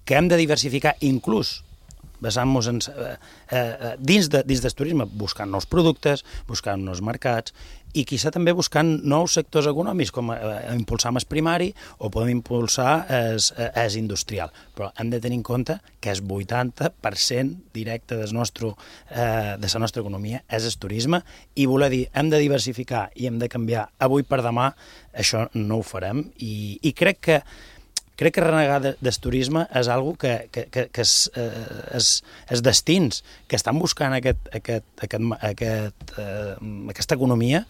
que hem de diversificar inclús basant-nos en, eh, eh, dins, de, dins del turisme, buscant nous productes, buscant nous mercats i quizà també buscant nous sectors econòmics, com eh, impulsar el primari o podem impulsar el industrial. Però hem de tenir en compte que el vuitanta per cent directe del nostre, eh, de la nostra economia és el turisme i voler dir hem de diversificar i hem de canviar avui per demà, això no ho farem i, i crec que Crec que renegar de, del turisme és algo que, que, que, que és, eh, és, és destins que estan buscant aquest, aquest, aquest, aquest, eh, aquesta economia,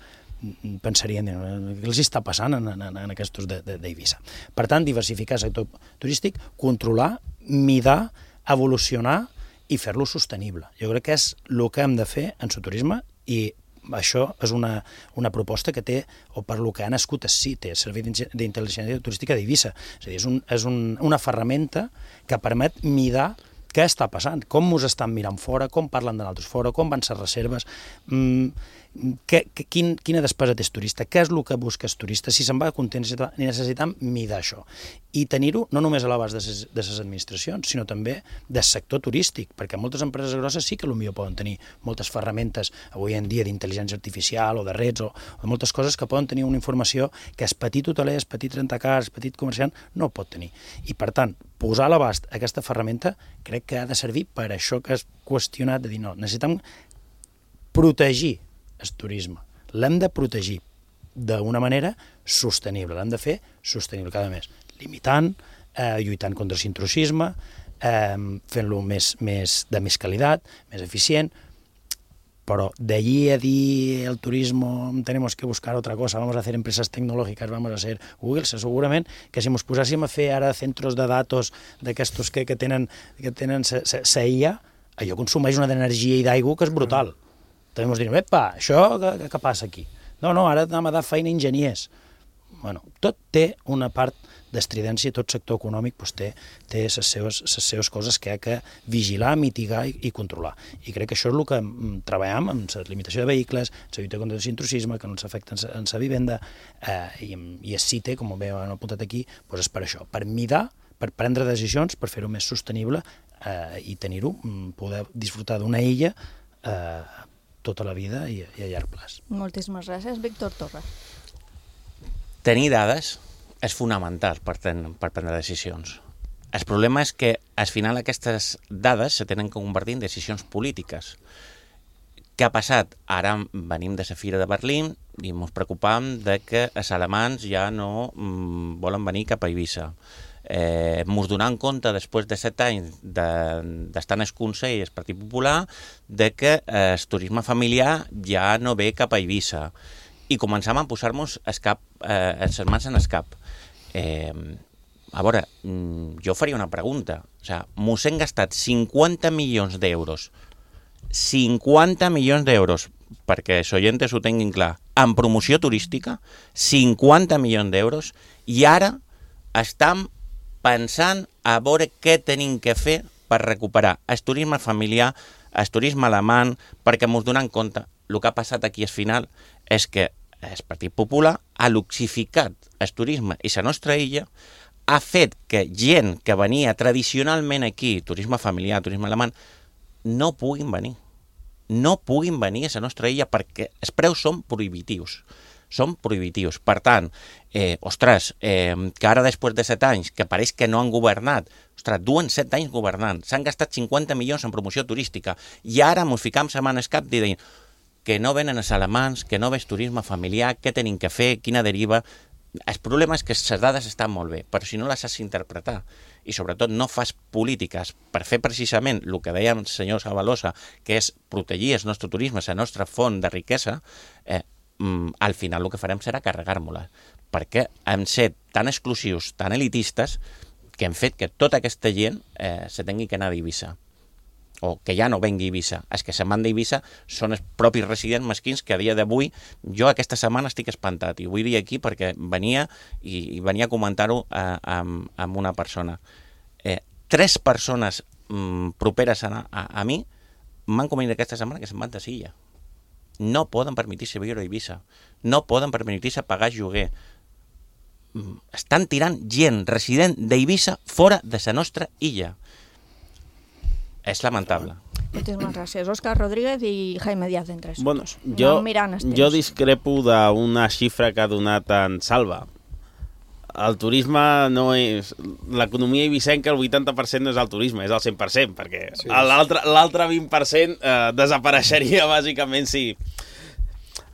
pensarien, què els està passant en, en, en aquests d'Eivissa. Per tant, diversificar el sector turístic, controlar, midar, evolucionar i fer-lo sostenible. Jo crec que és el que hem de fer en el turisme i això és una, una proposta que té, o per lo que ha nascut el C I T, el Servei d'Intel·ligència Turística d'Eivissa. És a dir, és, un, és un, una ferramenta que permet midar què està passant, com ens estan mirant fora, com parlen de nosaltres fora, com van ser reserves, mmm, que, que, quin, quina despesa té el turista, què és el que busca el turista, si se'n va content, necessitem midar això. I tenir-ho no només a l'abast de les administracions, sinó també del sector turístic, perquè moltes empreses grosses sí que potser poden tenir moltes ferramentes avui en dia d'intel·ligència artificial o de redes o, o de moltes coses que poden tenir una informació que el petit hoteler, el petit rentacars, el petit comerciant no pot tenir. I per tant, posar a l'abast aquesta ferramenta crec que ha de servir per això que has qüestionat, de dir no, necessitem protegir el turisme. L'hem de protegir d'una manera sostenible, l'hem de fer sostenible cada mes, limitant, eh, lluitant contra l'intrusisme, eh, fent-lo més, més, de més qualitat, més eficient, pero de allí a dir el turismo tenemos que buscar otra cosa, vamos a hacer empresas tecnológicas, vamos a ser Google, segurament que si ens posàssim a fer ara centros de datos d'aquestos que, que tenen, que tenen sa I A, allò consumeix una d'energia i d'aigua que és brutal. També ens direm, epa, això què, què passa aquí? No, no, ara anem a dar feina a enginyers. Bueno, tot té una part d'estridència, tot sector econòmic doncs, té, té les seves, les seves coses que ha de vigilar, mitigar i, i controlar. I crec que això és el que treballem amb la limitació de vehicles, la lluita contra l'intrusisme, que no ens afecta en la vivenda, eh, i, i el C I T, com bé han apuntat aquí, doncs és per això, per midar, per prendre decisions, per fer-ho més sostenible eh, i tenir-ho, poder disfrutar d'una illa eh, tota la vida i, i a llarg plaç. Moltíssimes gràcies. Víctor Torres. Tenir dades és fonamental per, ten, per prendre decisions. El problema és que al final aquestes dades se tenen que convertir en decisions polítiques. Què ha passat? Ara venim de la Fira de Berlín i ens preocupam de que els alemans ja no mm, volen venir cap a Eivissa. Eh, ens donant compte, després de set anys d'estar de, en el Consell i el Partit Popular, de que eh, el turisme familiar ja no ve cap a Eivissa. I començam a posar-nos eh, els mans en el cap. Eh, a veure, jo faria una pregunta. O sigui, mos hem gastat cinquanta milions d'euros, cinquanta milions d'euros, perquè els oients ho tinguin clar, en promoció turística, cinquanta milions d'euros, i ara estem pensant a veure què tenim que fer per recuperar el turisme familiar, el turisme alemany, perquè ens donem compte. El que ha passat aquí al final és que el Partit Popular ha luxificat el turisme i la nostra illa, ha fet que gent que venia tradicionalment aquí, turisme familiar, turisme alemany, no puguin venir. No puguin venir a la nostra illa perquè els preus són prohibitius. Són prohibitius. Per tant, eh, ostres, eh, que ara després de set anys, que pareix que no han governat, ostres, duen set anys governant, s'han gastat cinquanta milions en promoció turística, i ara ens ficam la mà en el cap dient que no venen els alemans, que no ve el turisme familiar, què tenim que fer, quina deriva. El problema és que les dades estan molt bé, però si no les has d'interpretar. i sobretot no fas polítiques per fer precisament el que deia el senyor Sabalosa, que és protegir el nostre turisme, la nostra font de riquesa, eh, al final el que farem serà carregar-nos-la, perquè hem set tan exclusius, tan elitistes, que hem fet que tota aquesta gent eh, se tingui que anar d'Eivissa, o que ja no vengui a Eivissa. Els que se'n van d'Eivissa són els propis residents mesquins que a dia d'avui, jo aquesta setmana estic espantat, i vull dir aquí perquè venia i, i venia a comentar-ho eh, amb, amb una persona. Eh, tres persones mm, properes a, a, a mi m'han comunicat aquesta setmana que se'n van de Silla. No poden permetir-se viure a Eivissa, no poden permetir-se pagar lloguer. Estan tirant gent resident d'Eivissa fora de la nostra illa. És lamentable. Moltíssimes gràcies. Òscar Rodríguez i Jaime Díaz en tres. Bueno, jo, jo discrepo d'una xifra que ha donat en Salva. El turisme no és... L'economia eivissenca, el vuitanta per cent no és el turisme, és el cent per cent, perquè sí, l'altre vint per cent eh, desapareixeria bàsicament si...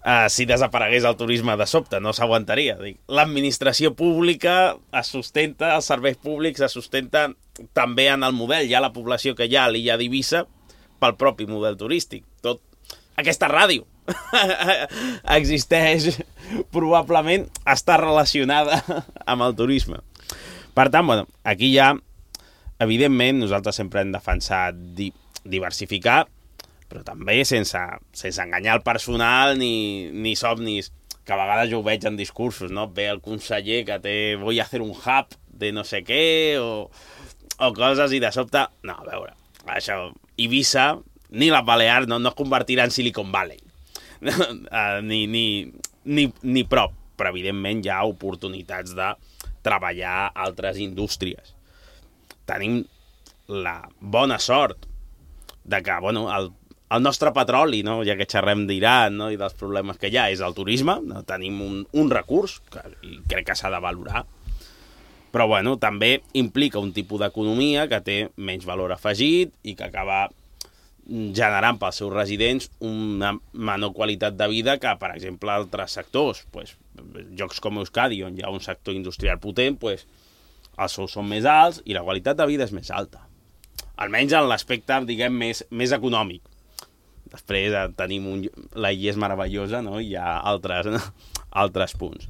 Uh, si desaparegués el turisme de sobte, no s'aguantaria. L'administració pública es sustenta, els serveis públics es sustenten també en el model. Hi ha la població que hi ha a l'illa d'Eivissa pel propi model turístic. Tot... Aquesta ràdio existeix, probablement està relacionada amb el turisme. Per tant, bueno, aquí ja, evidentment, nosaltres sempre hem defensat di diversificar, però també sense, sense enganyar el personal ni, ni somnis, que a vegades jo ho veig en discursos, no? Ve el conseller que té, voy a hacer un hub de no sé què, o, o coses, i de sobte, no, a veure, això, Eivissa, ni les Balears no, no es convertirà en Silicon Valley, ni, ni, ni, ni prop, però evidentment hi ha oportunitats de treballar altres indústries. Tenim la bona sort de que, bueno, el El nostre petroli, no? Ja que xerrem d'Iran, no? I dels problemes que hi ha, és el turisme. No? Tenim un, un recurs que crec que s'ha de valorar. Però bueno, també implica un tipus d'economia que té menys valor afegit i que acaba generant pels seus residents una menor qualitat de vida que, per exemple, altres sectors. Pues, llocs com Euskadi, on hi ha un sector industrial potent, pues, els sous són més alts i la qualitat de vida és més alta. Almenys en l'aspecte, diguem, més, més econòmic. Després tenim un... la illa és meravellosa, no? I hi ha altres, no? altres punts.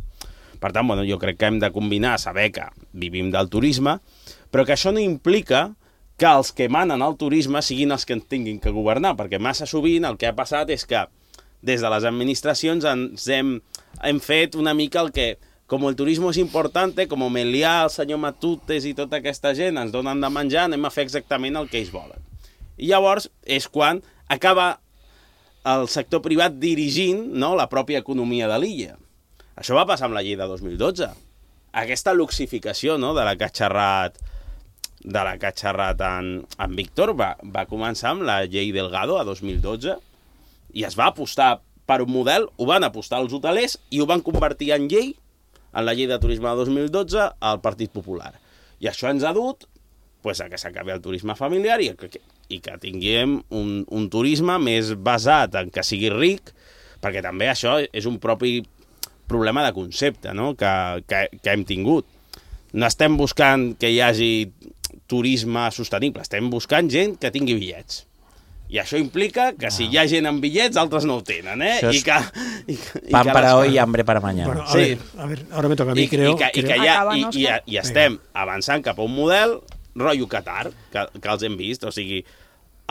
Per tant, bueno, jo crec que hem de combinar, saber que vivim del turisme, però que això no implica que els que manen el turisme siguin els que en tinguin que governar, perquè massa sovint el que ha passat és que des de les administracions ens hem, hem fet una mica el que, com el turisme és important, com Melià, el senyor Matutes i tota aquesta gent ens donen de menjar, anem a fer exactament el que ells volen. I llavors és quan acaba el sector privat dirigint, no, la pròpia economia de l'illa. Això va passar amb la llei de dos mil dotze. Aquesta luxificació, no, de la que ha xerrat, de la que ha xerrat en, en Víctor va, va començar amb la llei Delgado a dos mil dotze i es va apostar per un model, ho van apostar els hotelers i ho van convertir en llei, en la llei de turisme de dos mil dotze, al Partit Popular. I això ens ha dut pues, a que s'acabi el turisme familiar i que, i que tinguem un, un turisme més basat en que sigui ric, perquè també això és un propi problema de concepte, no? que, que, que hem tingut. No estem buscant que hi hagi turisme sostenible, estem buscant gent que tingui bitllets. I això implica que si hi ha gent amb bitllets, altres no ho tenen, eh? I que, i, i pan que para les... hoy y hambre para mañana. Bueno, a, sí. ver, a ver, ahora me toca a mí, I, creo. I, que, creo... i, que ja, Acaba, i, i, i estem Venga. avançant cap a un model rotllo Qatar, que, que els hem vist, o sigui,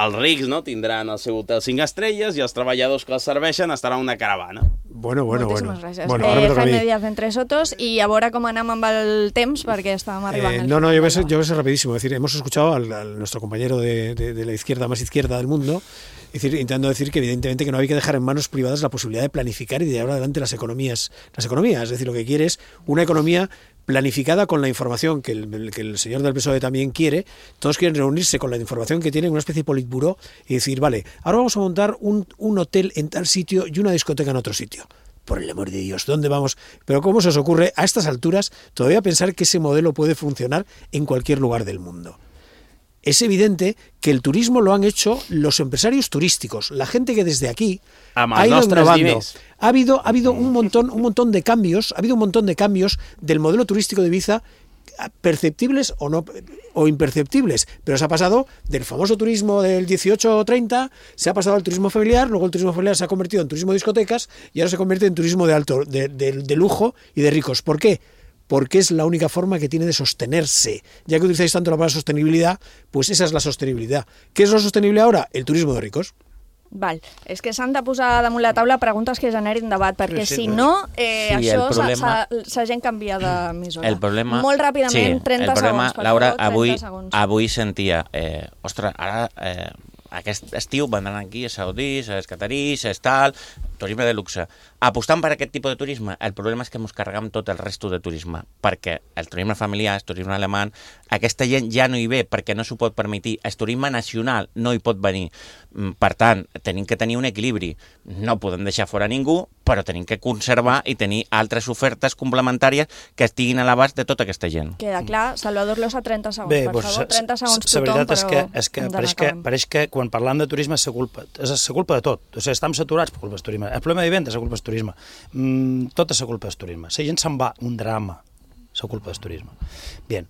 els rics, no, tindran el seu hotel cinc estrelles i els treballadors que els serveixen estaran en una caravana. Bueno, bueno, Moltíssimes bueno. gràcies. Bueno, eh, Jaime Díaz entre Sotos, y a veure com anem amb el temps, perquè estàvem arribant. Eh, al no, no, yo voy, a final. ser, yo voy a ser rapidísimo. Es decir, hemos escuchado a nuestro compañero de, de, de la izquierda más izquierda del mundo, es decir, intentando decir que evidentemente que no hay que dejar en manos privadas la posibilidad de planificar y de llevar adelante las economías. Las economías, es decir, lo que quiere es una economía planificada con la información que el, que el señor del P S O E también quiere. Todos quieren reunirse con la información que tienen, una especie de politburó, y decir, vale, ahora vamos a montar un, un hotel en tal sitio y una discoteca en otro sitio. Por el amor de Dios, ¿dónde vamos? Pero ¿cómo se os ocurre a estas alturas todavía pensar que ese modelo puede funcionar en cualquier lugar del mundo? Es evidente que el turismo lo han hecho los empresarios turísticos, la gente que desde aquí ha ido innovando. Ha habido, ha habido un montón, un montón de cambios, ha habido un montón de cambios del modelo turístico de Ibiza perceptibles o no o imperceptibles, pero se ha pasado del famoso turismo del dieciocho o treinta, se ha pasado al turismo familiar, luego el turismo familiar se ha convertido en turismo de discotecas y ahora se convierte en turismo de alto, de, de, de lujo y de ricos. ¿Por qué? Porque es la única forma que tiene de sostenerse. Ya que utilizáis tanto la palabra sostenibilidad, pues esa es la sostenibilidad. ¿Qué es lo sostenible ahora? El turismo de ricos. Val. És que s'han de posar damunt la taula preguntes que generin debat, perquè Sí, sí, si sí. no, eh, Sí, això el problema- la gent canvia d'emissora. El problema... Molt ràpidament, sí, trenta el problema, segons, per Laura, favor, trenta avui, segons. avui sentia, eh, ostres, ara eh, aquest estiu vendran aquí a saudís, a catarís, a tal, turisme de luxe. Apostant per aquest tipus de turisme, el problema és que ens carregam tot el resto de turisme, perquè el turisme familiar, el turisme alemany, aquesta gent ja no hi ve perquè no s'ho pot permetir, el turisme nacional no hi pot venir. Per tant, tenim que tenir un equilibri. No podem deixar fora ningú, però tenim que conservar i tenir altres ofertes complementàries que estiguin a l'abast de tota aquesta gent. Queda clar. Salvador Losa, trenta segons, Bé, per doncs, favor. trenta segons la tothom, veritat és que, però és que, hem d'anar pareix que acabant. pareix que quan parlam de turisme és la culpa, és la culpa de tot. O sigui, estem saturats per culpa del turisme. El problema de vivenda és la culpa del turisme. Mm, tot és la culpa del turisme. La gent se'n va, un drama, la culpa del turisme. Bien,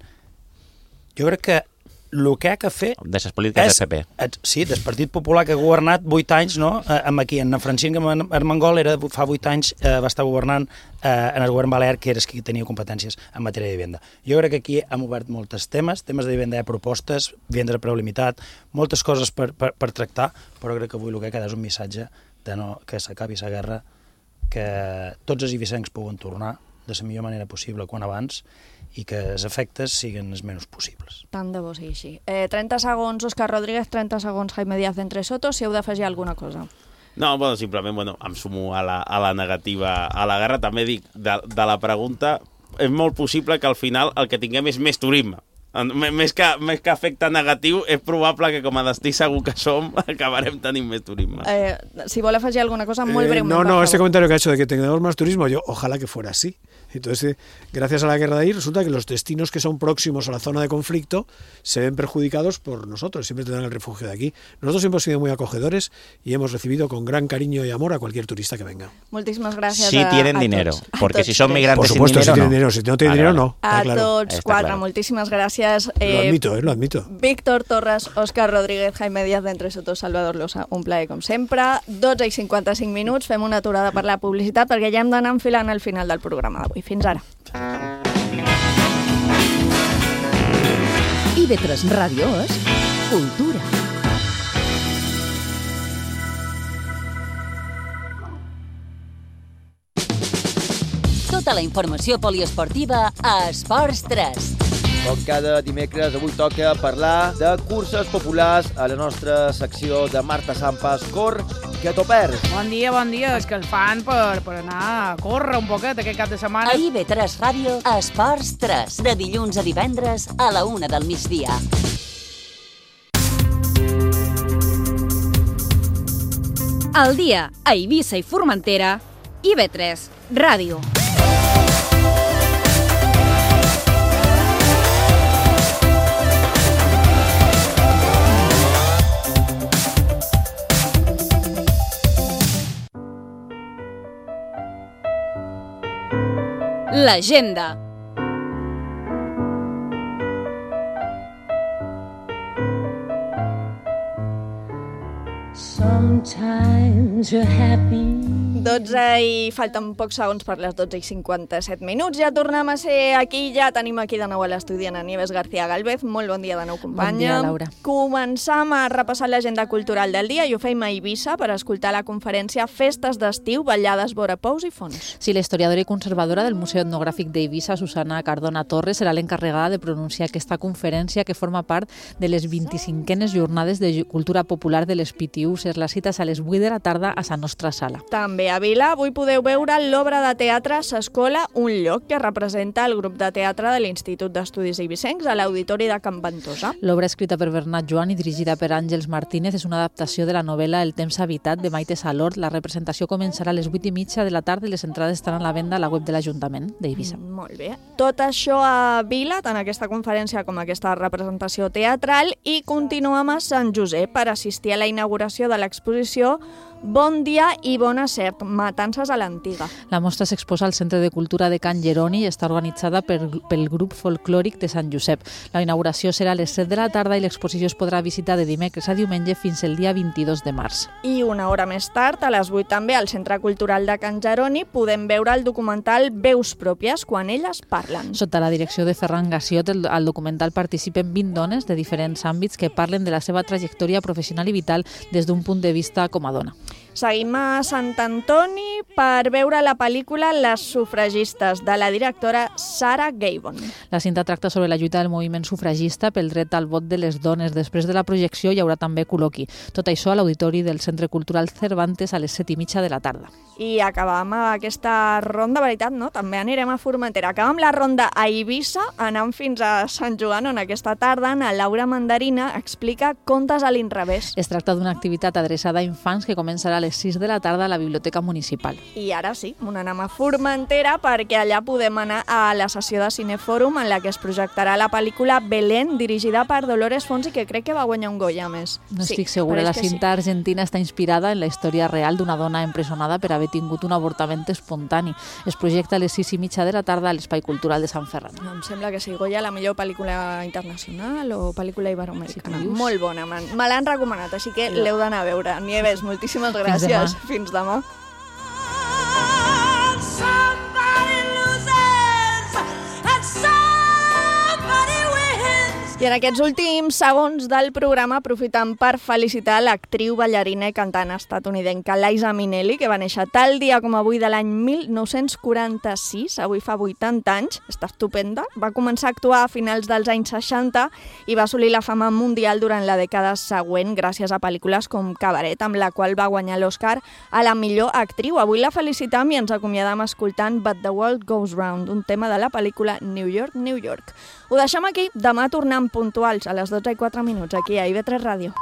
jo crec que el que ha de fer... De les polítiques del P P. Sí, del Partit Popular, que ha governat vuit anys, no? Eh, amb aquí, en Francesc Armengol era, fa vuit anys eh, va estar governant eh, en el govern balear, que era qui tenia competències en matèria de vivenda. Jo crec que aquí hem obert molts temes, temes de vivenda, hi ha propostes, vivenda a preu limitat, moltes coses per, per, per tractar, però crec que avui el que queda és un missatge de no, que s'acabi la guerra, que tots els ibicencs puguen tornar de la millor manera possible quan abans i que els efectes siguin els menys possibles. Tant de bo sigui així. Eh, trenta segons, Òscar Rodríguez, trenta segons, Jaime Díaz d'Entre Soto, si heu d'afegir alguna cosa. No, bueno, simplement bueno, em sumo a la, a la negativa a la guerra. També dic, de, de la pregunta, és molt possible que al final el que tinguem és més turisme. Més que, més que efecte negatiu, és probable que com a destí segur que som, acabarem tenint més turisme. Eh, si vol afegir alguna cosa, molt Eh, breument. no, no, por este favor. comentario que ha hecho de que tengamos más turismo, yo ojalá que fuera así. Entonces, eh, gracias a la guerra de ahí, resulta que los destinos que son próximos a la zona de conflicto se ven perjudicados por nosotros, siempre tendrán el refugio de aquí. Nosotros hemos sido muy acogedores y hemos recibido con gran cariño y amor a cualquier turista que venga. Moltíssimes gràcies Si a, tienen a dinero, tots. A porque tots si son tres. migrantes Por sin supuesto, dinero, si tienen no. dinero, si no tienen Vale, dinero, vale. no. A Está claro. tots Està quatre, claro. moltíssimes gràcies. Lo admito, eh, lo admito. Víctor Torres, Òscar Rodríguez, Jaime Díaz d'Entre Soto, Salvador Losa, un plaer com sempre. dotze i cinquanta-cinc minuts, fem una aturada per la publicitat perquè ja hem d'anar enfilant al final del programa d'avui. Fins ara. I B tres Ràdio és cultura. Tota la informació poliesportiva a Esports tres. Com cada dimecres, avui toca parlar de curses populars a la nostra secció de Marta Sampas, Cor, que t'ho perds. Bon dia, bon dia. És que el fan per, per anar a córrer un poquet aquest cap de setmana. A I B tres Ràdio, Esports tres, de dilluns a divendres a la una del migdia. Al dia a Eivissa i Formentera, I B tres Ràdio. L'agenda. Sometimes you're happy. dotze i falten pocs segons per les dotze i cinquanta-set minuts. Ja tornem a ser aquí, ja tenim aquí de nou a l'estudi Ana Nieves García Galvez. Molt bon dia de nou, companya. Bon dia, Laura. Començam a repassar l'agenda cultural del dia i ho feim a Eivissa per escoltar la conferència Festes d'estiu, ballades, vora pous i fons. Sí, la historiadora i conservadora del Museu Etnogràfic d'Eivissa, Susana Cardona Torres, serà l'encarregada de pronunciar aquesta conferència que forma part de les vint-i-cinquenes jornades de cultura popular de les Pitiuses. La cita és a les vuit de la tarda a la nostra sala. També a Vila avui podeu veure l'obra de teatre S'Escola, un lloc que representa el grup de teatre de l'Institut d'Estudis Eivissencs a l'Auditori de Can Ventosa. L'obra escrita per Bernat Joan i dirigida per Àngels Martínez és una adaptació de la novel·la El temps habitat de Maite Salort. La representació començarà a les vuit i mitja de la tarda i les entrades estaran a la venda a la web de l'Ajuntament d'Eivissa. Mm, molt bé. Tot això a Vila, tant aquesta conferència com aquesta representació teatral, i continuem a Sant Josep per assistir a la inauguració de l'exposició Bon dia i bona sort, matances a l'antiga. La mostra s'exposa al Centre de Cultura de Can Jeroni i està organitzada per, pel grup folclòric de Sant Josep. La inauguració serà a les set de la tarda i l'exposició es podrà visitar de dimecres a diumenge fins el dia vint-i-dos de març. I una hora més tard, a les vuit també, al Centre Cultural de Can Jeroni, podem veure el documental Veus pròpies, quan elles parlen. Sota la direcció de Ferran Gassiot, el, al documental participen vint dones de diferents àmbits que parlen de la seva trajectòria professional i vital des d'un punt de vista com a dona. Seguim a Sant Antoni per veure la pel·lícula Les sufragistes, de la directora Sarah Gabon. La cinta tracta sobre la lluita del moviment sufragista pel dret al vot de les dones. Després de la projecció hi haurà també col·loqui. Tot això a l'Auditori del Centre Cultural Cervantes a les set i mitja de la tarda. I acabam aquesta ronda, veritat, no? També anirem a Formentera. Acabam la ronda a Eivissa, anant fins a Sant Joan, on aquesta tarda na Laura Mandarina explica contes a l'inrevés. Es tracta d'una activitat adreçada a infants que començarà a les sis de la tarda a la Biblioteca Municipal. I ara sí, anem a Formentera perquè allà podem anar a la sessió de Cinefòrum en la que es projectarà la pel·lícula Belén, dirigida per Dolores Fonsi, que crec que va guanyar un Goya més. No sí, estic segura. La cinta sí. argentina està inspirada en la història real d'una dona empresonada per haver tingut un avortament espontani. Es projecta a les sis i mitja de la tarda a l'Espai Cultural de Sant Ferran. No, em sembla que sí, Goya, la millor pel·lícula internacional o pel·lícula iberoamericana. Sí, molt bona, man. Me l'han recomanat, així que sí. l'heu d'anar a veure. Nieves, moltíssimes gràcies. Fins demà. I en aquests últims segons del programa aprofitem per felicitar l'actriu, ballarina i cantant estatunidenca Liza Minnelli, que va néixer tal dia com avui de l'any mil nou-cents quaranta-sis, avui fa vuitanta anys, està estupenda. Va començar a actuar a finals dels anys seixanta i va assolir la fama mundial durant la dècada següent gràcies a pel·lícules com Cabaret, amb la qual va guanyar l'Oscar a la millor actriu. Avui la felicitam i ens acomiadam escoltant But the World Goes Round, un tema de la pel·lícula New York, New York. Ho deixem aquí, demà tornem puntuals a les dotze i quatre minuts aquí a I V tres Ràdio.